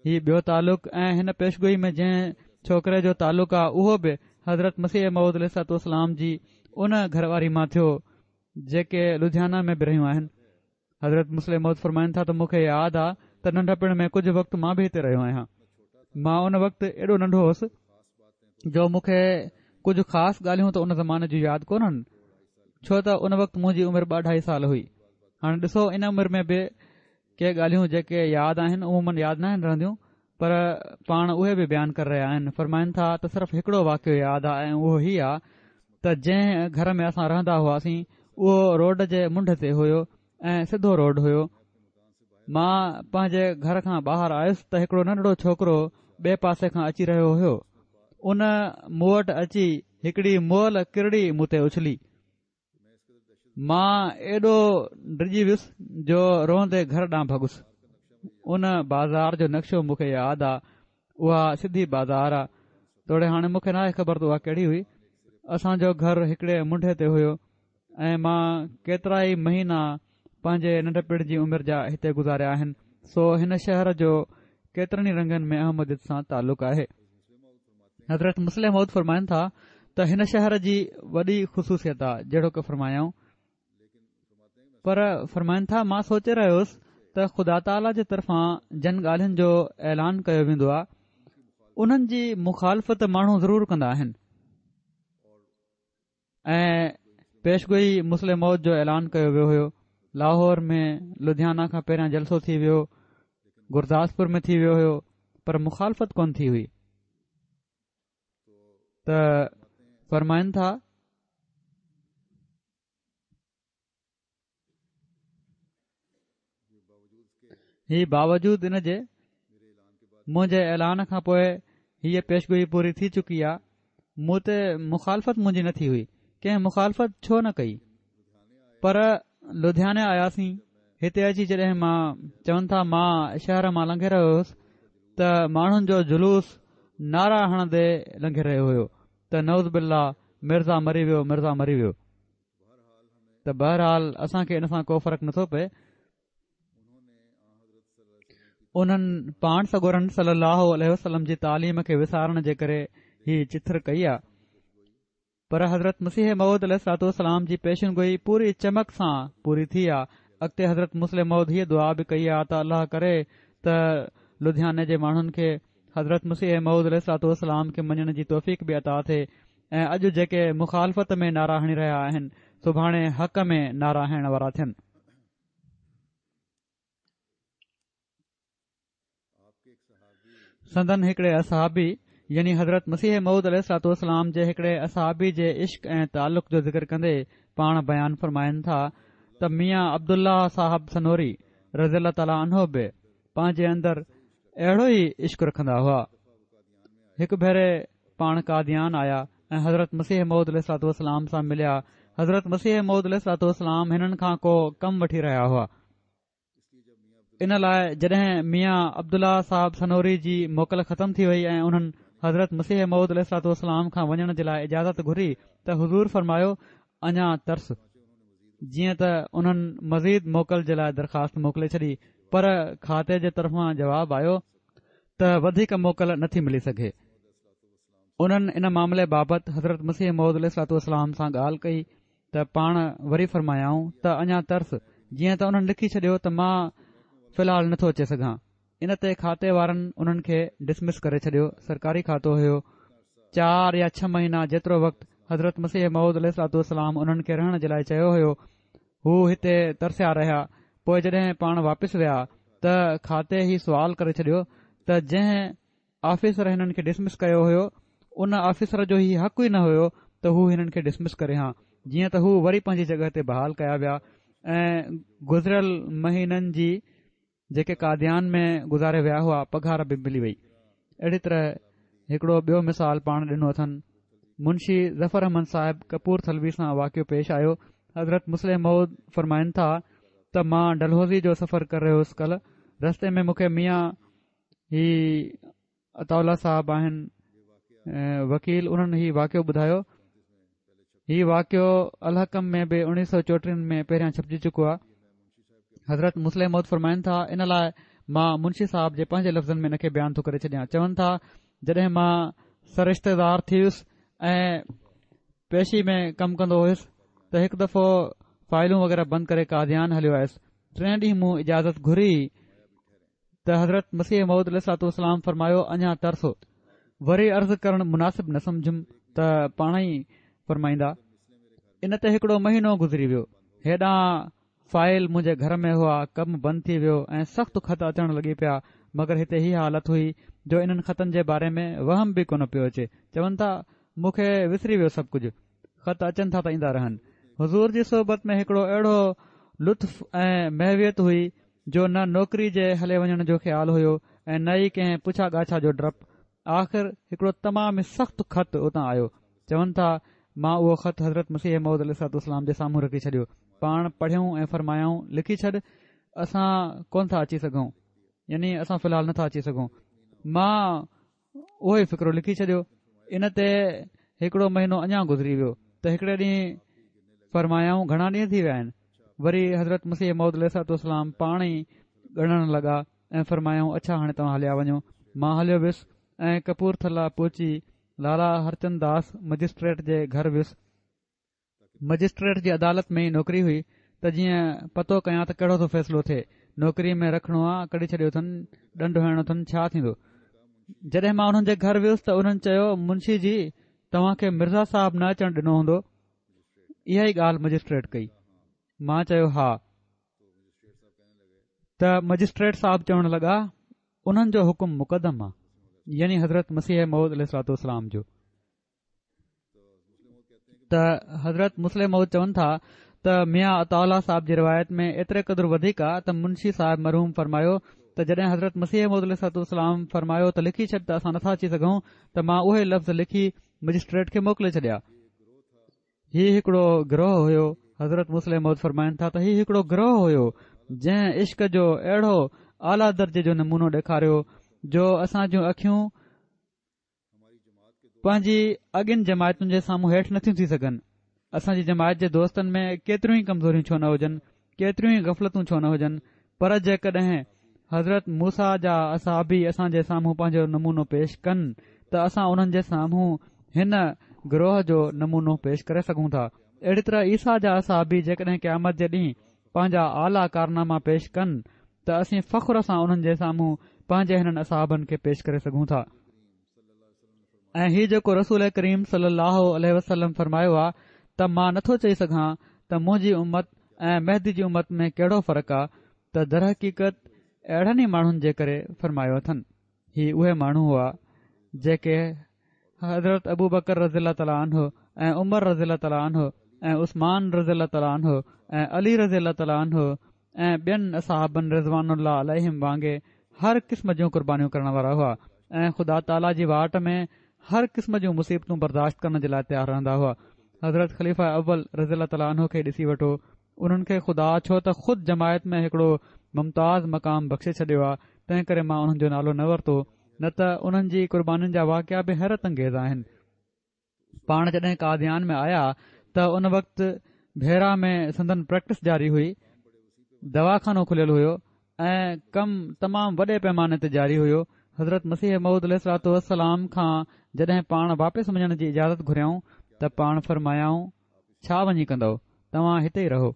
هي ٻيو تعلق ۽ هن پيشگوئي ۾ جنهن ڇوڪري جو تعلق آ اهو به حضرت مسيح موعود عليه الصلوة والسلام جي ان گهر واري مان ٿيو جيڪي لڌيانا ۾ به رهيون آهن حضرت مصلح موعود فرمائن ٿا ته مون کي ياد آ ته ننڍپڻ ۾ ڪجهه وقت مان به هتي رهيو آهيان مان ان وقت ايڏو ننڍو هوس جو مون کي ڪجهه خاص ڳالهيون ته ان زماني جون ياد ڪونهن ڇو ته ان وقت منهنجي عمر ٻه اڍائي سال هئي هاڻي ڏسو ان عمر ۾ به ڪي ڳالهيون جيڪي ياد آهن عموماً ياد ناهن رهنديون پر پاڻ اهي به بيان ڪري رهيا آهن فرمائن ٿا ته صرف هڪڙو واقعو ياد آهي ۽ اهو هي آ ته جنهن گهر ۾ اسان رهندا هئاسين اهو روڊ جي منڍ تي هيو ۽ سڌو روڊ هيو مان پنهنجي گهر کان ٻاهر آيس ته هڪڙو ننڍڙو ڇوڪرو ٻئي پاسي کان اچي رهيو هيو ان مون وٽ اچي هڪڙي مئل ڪرڙي مون تي اڇلي مان ايڏو ڊڄي ويس جو روئندي گهر ڏانهن ڀڳس. ان بازار جو نقشو مون کي ياد آ. اها سڌي بازار آ. توڙي هاڻي مون کي ناهي خبر ته اها ڪهڙي هئي. اسان جو گهر هڪڙي منڍي تي هيو ۽ مان ڪيترائي مهينا پنهنجي ننڍپڻ جي عمر جا هتي گذاريا آهن. سو هن شهر جو ڪيترن ئي رنگن ۾ احمديت سان تعلق آهي. حضرت مصلح موعود فرمائن ٿا ته هن شهر جي وڏي خصوصيت آ جهڙوڪ فرمايائون پر فرمائن ٿا مان سوچي رهيو هوس ته خدا تعاليٰ جي طرفان جن ڳالهين جو اعلان ڪيو ويندو آ انهن جي مخالفت ماڻهو ضرور ڪندا آهن ۽ پيشگوئي مصلح موعود جو اعلان ڪيو ويو هيو لاهور ۾ لڌيانا کان پهريان جلسو ٿي ويو گرداسپور ۾ ٿي ويو هيو پر مخالفت ڪونه ٿي هئي ته فرمائن ٿا هي باوجود ان جي منهنجي اعلان کان پوء هيء پيشگوئي پوري ٿي چڪي آ مون تي مخالفت منهنجي نه ٿي هئي ڪنهن مخالفت ڇو نه ڪئي پر لڌياني آياسين هتي اچي جڏهن مان چون ٿا مان شهر مان لنگهي رهيو هوس ته ماڻهن جو جلوس نعرا هڻندي لنگهي رهيو هيو ته نعوذ بالله مرزا مري ويو مرزا مري ويو ته بهرحال اسان کي ان سان ڪو فرق نٿو پئي انهن پاڻ سڳورن صلي الله عليه وسلم جي تعليم کي وسارڻ جي ڪري هي چٿر ڪئي آ پر حضرت مسيح موعود عليه الصلوة والسلام جي پيشن گوئي پوري چمڪ سان پوري ٿي آ اڳتي حضرت مصلح موعود هيء دعا به ڪئي آ ته الله ڪري ته لڌياني جي ماڻهن کي حضرت مسيح موعود عليه الصلوة والسلام کي مڃڻ جي توفيق به عطا ٿئي ۽ اڄ جيڪي مخالفت ۾ نعرا هڻي رهيا آهن سڀاڻي حق ۾ نعرا هڻڻ وارا ٿين. سندن هڪڙي اصحابي يعني حضرت مسيح موعود عليه الصلوة والسلام جي هڪڙي اصحابي جي عشق ۽ تعلق جو ذڪر ڪندي پاڻ بيان فرمائن ٿا ته ميان عبدالله صاحب سنوري رضي الله تعالٰي عنه به پنهنجي اندر اهڙو ئي عشق رکندا هئا. هڪ ڀيري پاڻ قاديان آيا ۽ حضرت مسيح موعود عليه الصلوة والسلام سان مليا. حضرت مسيح موعود عليه الصلوة والسلام هنن کان ڪو ڪم وٺي رهيا هئا. ان لاء جڏهن ميان عبدالله صاحب سنوري جي موڪل ختم ٿي وئي ۽ انهن حضرت مسيح موعود عليه الصلوة والسلام کان وڃڻ جي لاء اجازت گهري ته حضور فرمايو اڃا ترس. جيئن ته انهن مزيد موڪل جي لاء درخواست موڪلي ڇڏي پر کاتي جي طرفان جواب آيو ته وڌيڪ موڪل نٿي ملي سگهي. انهن ان معاملي بابت حضرت مسيح موعود عليه الصلوة والسلام سان ڳالهه ڪئي ته پاڻ وري فرمايائون ته اڃا ترس جيئن ته انهن لکي ڇڏيو ته مان في الحال نٿو اچي سگهان. ان تي کاتي وارن انهن کي ڊسمس ڪري ڇڏيو سرڪاري کاتو هيو چار يا ڇهه مهينا جيترو وقت حضرت مسيح موعود عليه الصلوة والسلام انهن کي رهڻ جي لاء چيو هيو هو هتي ترسيا رهيا پوء جڏهن پاڻ واپس ويا ته کاتي هي سوال ڪري ڇڏيو ته جنهن آفيسر هنن کي ڊسمس ڪيو هيو ان آفيسر جو هي حق ئي نه هيو ته هو هنن کي ڊسمس ڪري هان جيئن ته هو وري پنهنجي جڳهه تي بحال ڪيا ويا ۽ گذريل مهينن جي جيڪي قاديان ۾ گذاري ويا هئا پگهار به ملي وئي اهڙي طرح هڪڙو ٻيو مثال پاڻ ڏنو اٿن منشي ظفر احمد صاحب ڪپور ٿلوي سان واقعو پيش آيو حضرت مصلح موعود فرمائن ٿا ته مان ڊلهوزي جو سفر ڪري رهيو هوس ڪلهه رستي ۾ مونکي ميان هي عطاء الله صاحب آهن وڪيل انهن هي واقعو ٻڌايو هي واقعو الحڪم ۾ به اڻيهه سو چوٽيهن ۾ پهريان ڇپجي چڪو آهي حضرت مصلح موعود فرمائن ٿا ان لاء مان منشي صاحب جي پنهنجي لفظن ۾ ان کي بيان ٿو ڪري ڇڏيان چون ٿا جڏهن مان سرشتيدار ٿيس ۽ پيشي ۾ ڪم ڪندو هيس ته هڪ دفعو فائلون وغيره بند ڪري قاديان هليو آيس ٽئين ڏينهن مون اجازت گهري ته حضرت مسيح موعود عليه الصلوة والسلام فرمايو اڃا ترسو وري عرض ڪرڻ مناسب نه سمجهيم ته پاڻ ئي فرمائيندا ان تي هڪڙو مهينو گذري ويو هيڏانهن فائل منهنجي گهر ۾ هئا ڪم بند ٿي ويو ۽ سخت خط اچڻ لڳي پيا مگر هتي هي حالت هئي جو انهن خطن جي باري ۾ وهم به ڪونه پيو اچي چون ٿا مون کي وسري ويو سڀ ڪجهه خط اچن ٿا ته ايندا رهن حضور جي صحبت ۾ هڪڙو اهڙو لطف ۽ محويت هئي جو نه نوڪري جي هلي وڃڻ جو خيال هيو ۽ نه ئي ڪنهن پڇا ڳاڇا جو ڊپ. آخر هڪڙو تمام ئي سخت خط اتان آيو. چون ٿا، مان اهو خط حضرت مسيح موعود عليه الصلوة والسلام جي سامهون رکي ڇڏيو. پاڻ پڙهيائون ۽ فرمايائون، لکي ڇڏ، اسان ڪونه ٿا اچي سگهون. يعني اسان في الحال نٿا اچي سگهون. مان اهو ئي فقرو لکي ڇڏيو. ان تي هڪڙو مهينو اڃا گذري ويو ته هڪڙي ڏينهن فرمايائون گهڻا ڏينهن ٿي ويا آهن؟ وري حضرت مسيح موعود عليه الصلوة والسلام پاڻ ئي ڳڻڻ لڳا ۽ فرمايائون اڇا هاڻي توهان هليا وڃو. مان هليو ويس ۽ ڪپورٿلا پهچي لالا هرچند داس مئجسٽريٽ جي گهر ويس. مئجسٽريٽ جي عدالت ۾ ئي نوڪري هئي ته جيئن پتو ڪيان ته ڪهڙو ٿو فيصلو ٿئي نوڪري ۾ رکڻو آ ڪڍي ڇڏيو اٿن ڏنڊ هڻڻو اٿن ڇا ٿيندو جڏهن مان انهن جي گهر ويس ته انهن چيو منشي جي توهان کي مرزا صاحب نه اچڻ ڏنو هوندو اها ئي ڳالهه مئجسٽريٽ ڪئي مان چيو ها ته مئجسٽريٽ صاحب چوڻ لڳا انهن جو حڪم مقدم آ يعني حضرت مسيح موعود عليه الصلوة والسلام جو ته حضرت مصلح موعود چون ٿا ته ميان عطاء الله صاحب جي روايت ۾ ايتري قدر وڌيڪ آ ته منشي صاحب مرحوم فرمايو ته جڏهن حضرت مسيح موعود عليه الصلوة والسلام فرمايو ته لکي ڇڏ ته اسان نٿا اچي سگهون ته مان اهي لفظ لکي مئجسٽريٽ کي موڪلي ڇڏيا هي هڪڙو گروهه هيو حضرت مصلح موعود فرمائن ٿا ته هي هڪڙو گروهه هيو جنهن عشق جو اهڙو اعليٰ درجي جو نمونو ڏيکاريو جو اسان جون اکيون پنهنجي اڳين جماعتن جي سامهون هيٺ نٿيون ٿي سگهن. اسان جي جماعت جي دوستن ۾ ڪيتريون ئي ڪمزوريون ڇو نه هجن، ڪيتريون ئي غفلتون ڇو نه هجن، پر جيڪڏهن حضرت موسيٰ جا اصحابي اسان جي سامهون پنهنجو نمونو پيش ڪن ته اسان انهن جي سامهون هن گروهه جو نمونو پيش ڪري سگهون ٿا. اهڙي طرح عيسيٰ جا اصحابي جيڪڏهن قيامت جي ڏينهن پنهنجا اعليٰ ڪارناما پيش ڪن ته اسين فخر سان انهن جي سامهون پنهنجي هنن اصحابن کي پيش ڪري سگهون ٿا ۽ هي جيڪو رسول ڪريم صلي الله عليه وسلم فرمايو آ ته مان نٿو چئي سگهان ته منهنجي امت ۽ مهدي جي امت ۾ ڪهڙو فرق آ ته درحقيقت اهڙن ئي ماڻهن جي ڪري فرمايو اٿن هي اهي ماڻهو هئا جيڪي حضرت ابوبڪر رضي الله تعالٰي عنه ۽ عمر رضي الله تعالٰي عنه ۽ عثمان رضي الله تعالٰي عنه ۽ علي رضي الله تعالٰي عنه ۽ ٻين اصحابن رضوان الله عليهم وانگي هر قسم جون قربانيون ڪرڻ وارا هئا ۽ خدا تعاليٰ جي واٽ ۾ هر قسم جون مصيبتون برداشت ڪرڻ جي لاء تيار رهندا هئا حضرت خليفه اول رضي الله تعالٰي عنه کي ڏسي وٺو انهن کي خدا ڇو ته خود جماعت ۾ هڪڙو ممتاز مقام بخشي ڇڏيو آهي تنهن ڪري مان انهن جو نالو نه ورتو نه ته انهن جي قربانين جا واقعا به حيرت انگيز آهن. پاڻ جڏهن قاديان ۾ آيا ته ان وقت ڀيرا ۾ سندن پريڪٽس جاري هئي، دواخانو کليل هيو ۽ ڪم تمام وڏي پيماني تي جاري هيو. حضرت مسيح موعود عليه الصلوة والسلام کان جڏهن پاڻ واپس وڃڻ جي اجازت گهريائون ته پاڻ فرمايائون، ڇا وڃي ڪندؤ، توهان هتي ئي رهو.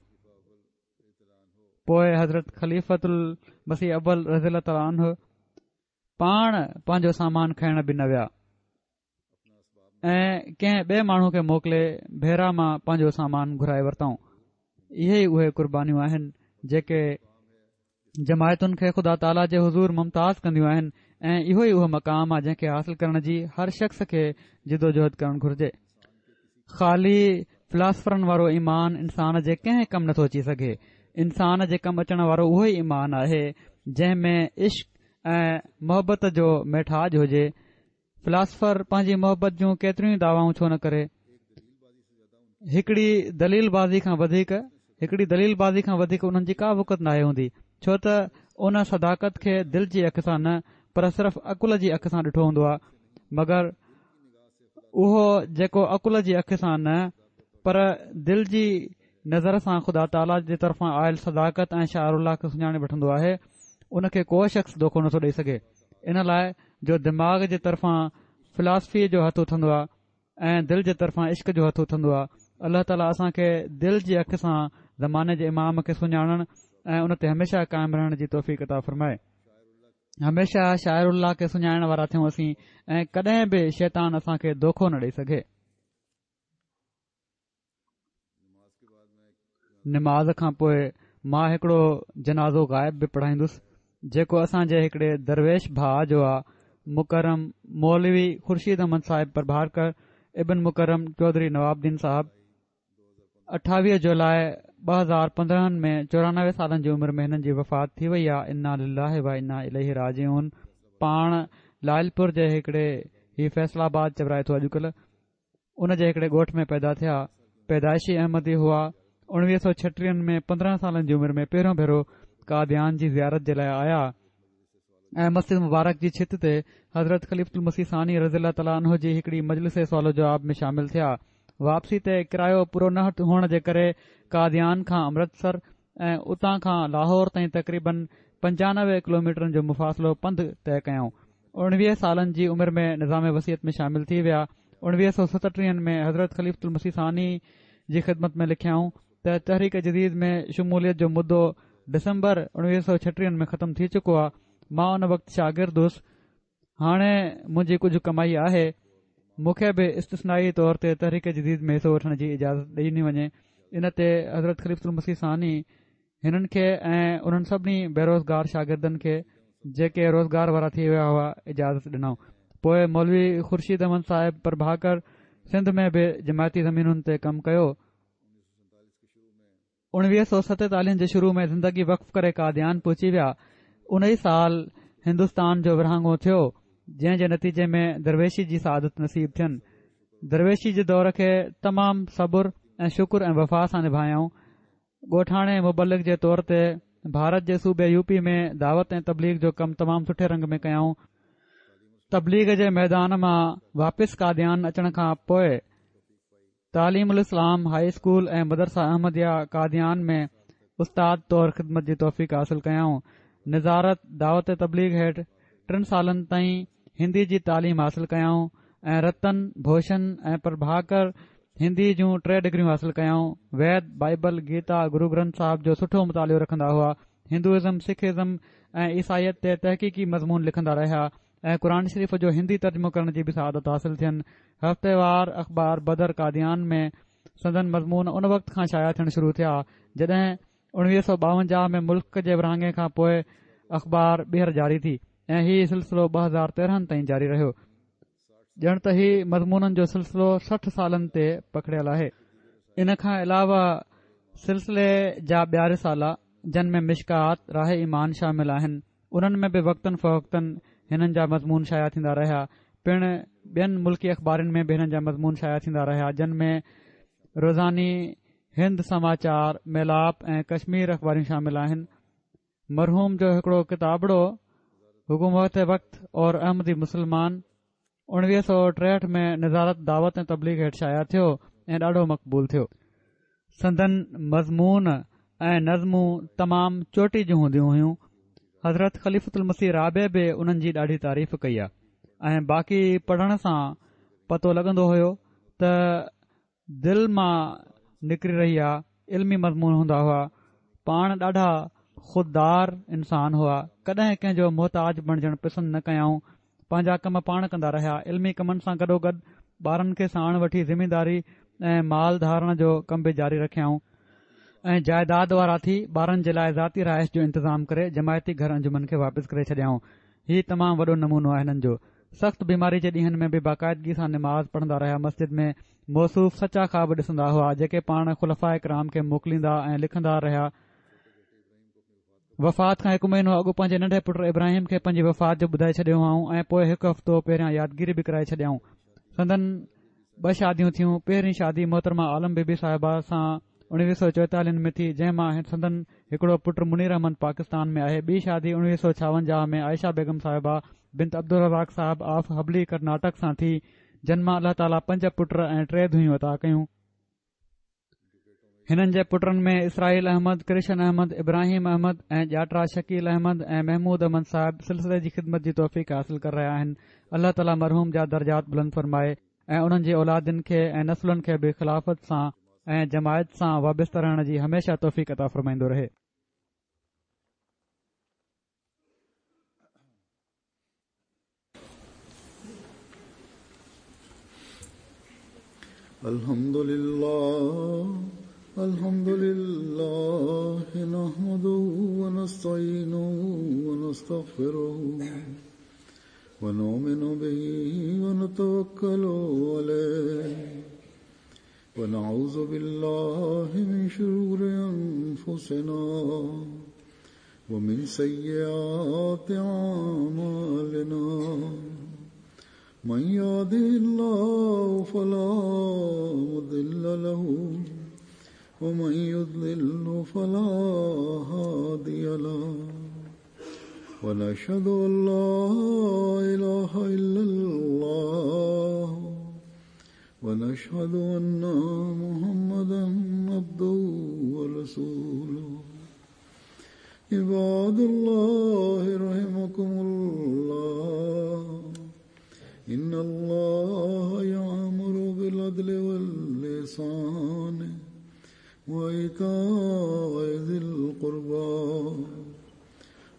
پوء حضرت خليفة المسيح اول رضي الله تعالٰي عنه پاڻ پنهنجو سامان کڻڻ به نه ويا ۽ ڪنهن ٻئي ماڻهو کي موڪلي ڀيرا مان پنهنجو سامان گهرائي ورتائون. اهي ئي اهي قربانيون آهن جيڪي جماعتن کي خدا تعاليٰ جي حضور ممتاز ڪنديون آهن ۽ اهو ئي اهو مقام آهي جنهن کي حاصل ڪرڻ جي هر شخص کي جدوجهد ڪرڻ گهرجي. خالي فلاسفرن وارو ايمان انسان جي ڪنهن ڪم نٿو اچي سگهي. انسان جي ڪم اچڻ وارو اهو ئي ايمان آهي جنهن ۾ عشق ۽ محبت جو ميٺاج هجي. فلاسفر پنهنجي محبت جون ڪيتريون ئي دعوائون ڇو نه ڪري. هڪڙي دليل بازي کان وڌيڪ هڪڙي دليل بازي کان وڌيڪ انهن جي ڪا وقعت ناهي هوندي ڇو ته ان صداقت کي دل جي اک سان نه پر صرف عقل جي اک سان ڏٺو هوندو آهي مگر اهو جيڪو عقل جي اک سان نه پر دل جي نظر سان خدا تعاليٰ جي طرفان آيل صداقت ۽ شعائر الله کي سڃاڻي وٺندو آهي ان کي ڪو شخص دوکو نٿو ڏئي سگهي ان لاء جو دماغ جي طرفان فلاسفي جو هٿ اٿندو آهي ۽ دل جي طرفان عشق جو هٿ اٿندو آهي الله تعاليٰ اسان کي دل جي اک سان زماني جي امام کي سڃاڻڻ ۽ ان تي هميشه قائم رهڻ جي توفيق عطا فرمائي. هميشه شعائر الله کي سڃاڻڻ وارا ٿيون اسين ۽ ڪڏهن به شيطان اسان کي دوکو نه ڏئي سگهي. نماز کان پوء مان هڪڙو جنازو غائب به پڙهائيندس جيڪو اسان جي هڪڙي درويش ڀاء جو آ مڪرم مولوي خورشيد احمد صاحب پرڀارڪر ابن مڪرم چوڌري نواب الدين صاحب 28 جولاء 2015 ۾ 94 سالن جي عمر ۾ هنن جي وفات ٿي وئي آ انا لله و انا اليه راجعون پاڻ لائلپور جي هڪڙي هي فيصل آباد چورائي ٿو اڄڪلهه ان جي هڪڙي ڳوٺ ۾ پيدا ٿيا پيدائشي احمدي هئا 1936 ۾ 15 سالن جي عمر ۾ پهريون ڀيرو قاديان جي زيارت جي لاء آيا ۽ مسجد مبارڪ جي ڇت تي حضرت خليفة المسيح ثاني رضي الله تعالٰي عنه جي هڪڙي مجلس سوال و جواب ۾ شامل ٿيا. واپسي تي ڪرايو پورو نه هئڻ جي ڪري قاديان کان امرتسر ۽ اتان کان لاهور تائين تقريباً 95 ڪلوميٽرن جو مفاصلو پنڌ طئي ڪيائون. 19 سالن جي عمر ۾ نظام وصيت ۾ شامل ٿي ويا. 1937 ۾ حضرت خليفة المسيح ثاني جي خدمت ۾ لکيائون ته تحريڪ جديد ۾ شموليت جو مدو ڊسمبر 1936 ۾ ختم ٿي چڪو آهي مان ان وقت شاگرد هوس هاڻي منهنجي ڪجهه ڪمائي آهي مون کي به استثنائي طور تي تحريڪ جديد ۾ حصو وٺڻ جي اجازت ڏني وڃي ان تي حضرت خليفة المسيح ثاني هنن کي ۽ انهن سڀني بيروزگار شاگردن کي جيڪي روزگار وارا ٿي ويا هئا اجازت ڏنائون پوء مولوي خورشيد احمد صاحب پرڀاڪر سنڌ ۾ به جماعتي زمينن تي ڪم ڪيو 1947 جي شروع ۾ زندگي وقف ڪري قاديان پهچي ويا. ان ئي سال هندستان جو ورهاڱو ٿيو، جنهن جي نتيجي ۾ درويشي جي سعادت نصيب ٿين. درويشي جي دور کي تمام صبر ۽ شڪر ۽ وفا سان نڀايائون. ڳوٺاڻي مبلغ جي طور تي ڀارت جي صوبي يو پي ۾ دعوت ۽ تبليغ جو ڪم تمام سٺي رنگ ۾ ڪيائون. تبليغ جي ميدان مان واپس قاديان اچڻ کان پوء تعليم الاسلام هائي اسڪول ۽ مدرسه احمديه قاديان ۾ استاد طور خدمت جي توفيق حاصل ڪيائون. نظارت دعوت تبليغ هيٺ ٽن سالن تائين هندي جي تعليم حاصل ڪيائون ۽ رتن ڀوشن ۽ پرڀاڪر هندي جون ٽي ڊگريون حاصل ڪيائون. ويد، بائيبل، گيتا، گرو گرنٿ صاحب جو سٺو مطالعو رکندا هئا. هندوازم، سک ازم ۽ عيسائيت تي تحقيقي مضمون لکندا رهيا. ۽ قرآن شريف جو هندي ترجمو ڪرڻ جي به سعادت حاصل ٿين. هفتيوار اخبار بدر قاديان ۾ سندن مضمون ان وقت کان شايع ٿيڻ شروع ٿيا، جڏهن 1952 ۾ ملڪ جي ورهاڱي کان پوء اخبار ٻيهر جاري ٿي ۽ هي سلسلو 2013 تائين جاري رهيو. ڄڻ ته هي مضمونن جو سلسلو 60 سالن تي پکڙيل آهي. ان کان علاوه سلسلي جا ٻيا رسالا جن ۾ مشڪات، راهِ ايمان شامل آهن. انهن ۾ به وقتاً فوقتاً هنن جا مضمون شايع ٿيندا رهيا. پڻ ٻين ملڪي اخبارن ۾ به هنن جا مضمون شايع ٿيندا رهيا، جن ۾ روزاني هند سماچار، ميلاپ ۽ ڪشمير اخباريون شامل آهن. مرحوم جو هڪڙو ڪتابڙو حڪومت وقت اور احمدي مسلمان 1963 ۾ نظارت دعوت ۽ تبليغ هيٺ شايع ٿيو ۽ ڏاڍو مقبول ٿيو. سندن مضمون ۽ نظمون تمام چوٽي جون هونديون هيون. حضرت خليفة المسيح رابع به انهن جي ڏاڍي تعريف ڪئي آهي ۽ باقي پڙهڻ سان پتو لڳندو هيو ته دل مان نڪري رهي آ، علمي مضمون هوندا هئا. پاڻ ڏاڍا خوددار انسان هئا، ڪڏهن ڪنهن جو محتاج بڻجڻ پسند نه ڪيائون. پنهنجا ڪم پاڻ ڪندا رهيا. علمي ڪمن سان گڏوگڏ ٻارن کي ساڻ وٺي زمينداري ۽ مال ڌارڻ جو ڪم به جاري رکيائون ۽ جائداد وارا ٿي ٻارن جي لاء ذاتي رهائش جو انتظام ڪري جماعتي گهر انجمن کي واپس ڪري ڇڏيائون. هي تمام وڏو نمونو آهي هنن جو. سخت بيماري جي ڏينهن ۾ به باقاعدگي سان نماز پڙهندا رهيا مسجد ۾ موصوف سچا خواب ڏسندا هئا جيڪي پاڻ خلفاء ڪرام کي موڪليندا ۽ لکندا رهيا. وفات کان هڪ مهينو اڳ پنهنجي ننڍي پٽ ابراهيم کي پنهنجي وفات جو ٻڌائي ڇڏيو هئائون ۽ پوء هڪ هفتو پهريان يادگيري به ڪرائي ڇڏيائون. سندن ٻه شاديون ٿيون. پهرين شادي محترمه عالم بي بي صاحبه سان اڻويهه سؤ چوئيتاليهن ۾ ٿي جنهن مان سندن هڪڙو پٽ منير احمد پاڪستان ۾ آهي. ٻي شادي 1956 ۾ عائشه بيگم صاحبه بنت عبدالرزاق صاحب آف هبلي ڪرناٽڪ سان ٿي جن مان الله تعاليٰ پنج پٽ ۽ ٽي ڌيون عطا ڪيون. هنن جي پٽن ۾ اسرائيل احمد، ڪرشن احمد، ابراهيم احمد ۽ ڄاٽرا شڪيل احمد ۽ محمود احمد صاحب سلسلي جي خدمت جي توفيق حاصل ڪري رهيا آهن. الله تعالي مرحوم جا درجات بلند فرمائي ۽ انهن جي اولادن کي ۽ نسلن کي به خلافت سان ۽ جماعت سان وابسته رهڻ جي هميشه توفيق عطا فرمائيندو رهي. الحمد لله الحمد لله نحمده ونستعينه ونستغفره ونؤمن به ونتوكل عليه ونعوذ بالله من شرور أنفسنا ومن سيئات أعمالنا من يهده الله فلا مضل له ومن يضلل فلا هادي له ونشهد أن لا إله إلا الله ونشهد أن محمدا عبده ورسوله عباد الله رحمكم الله إن الله يأمر بالعدل واللسان وإيتاء ذي القربى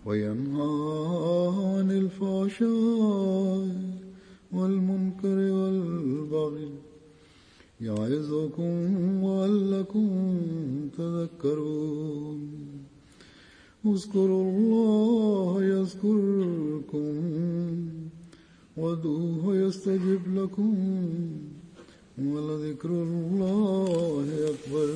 وينهى عن الفحشاء والمنكر والبغي يعظكم لعلكم تذكرون اذكروا الله يذكركم وادعوه يستجب لكم ولذكر الله أكبر.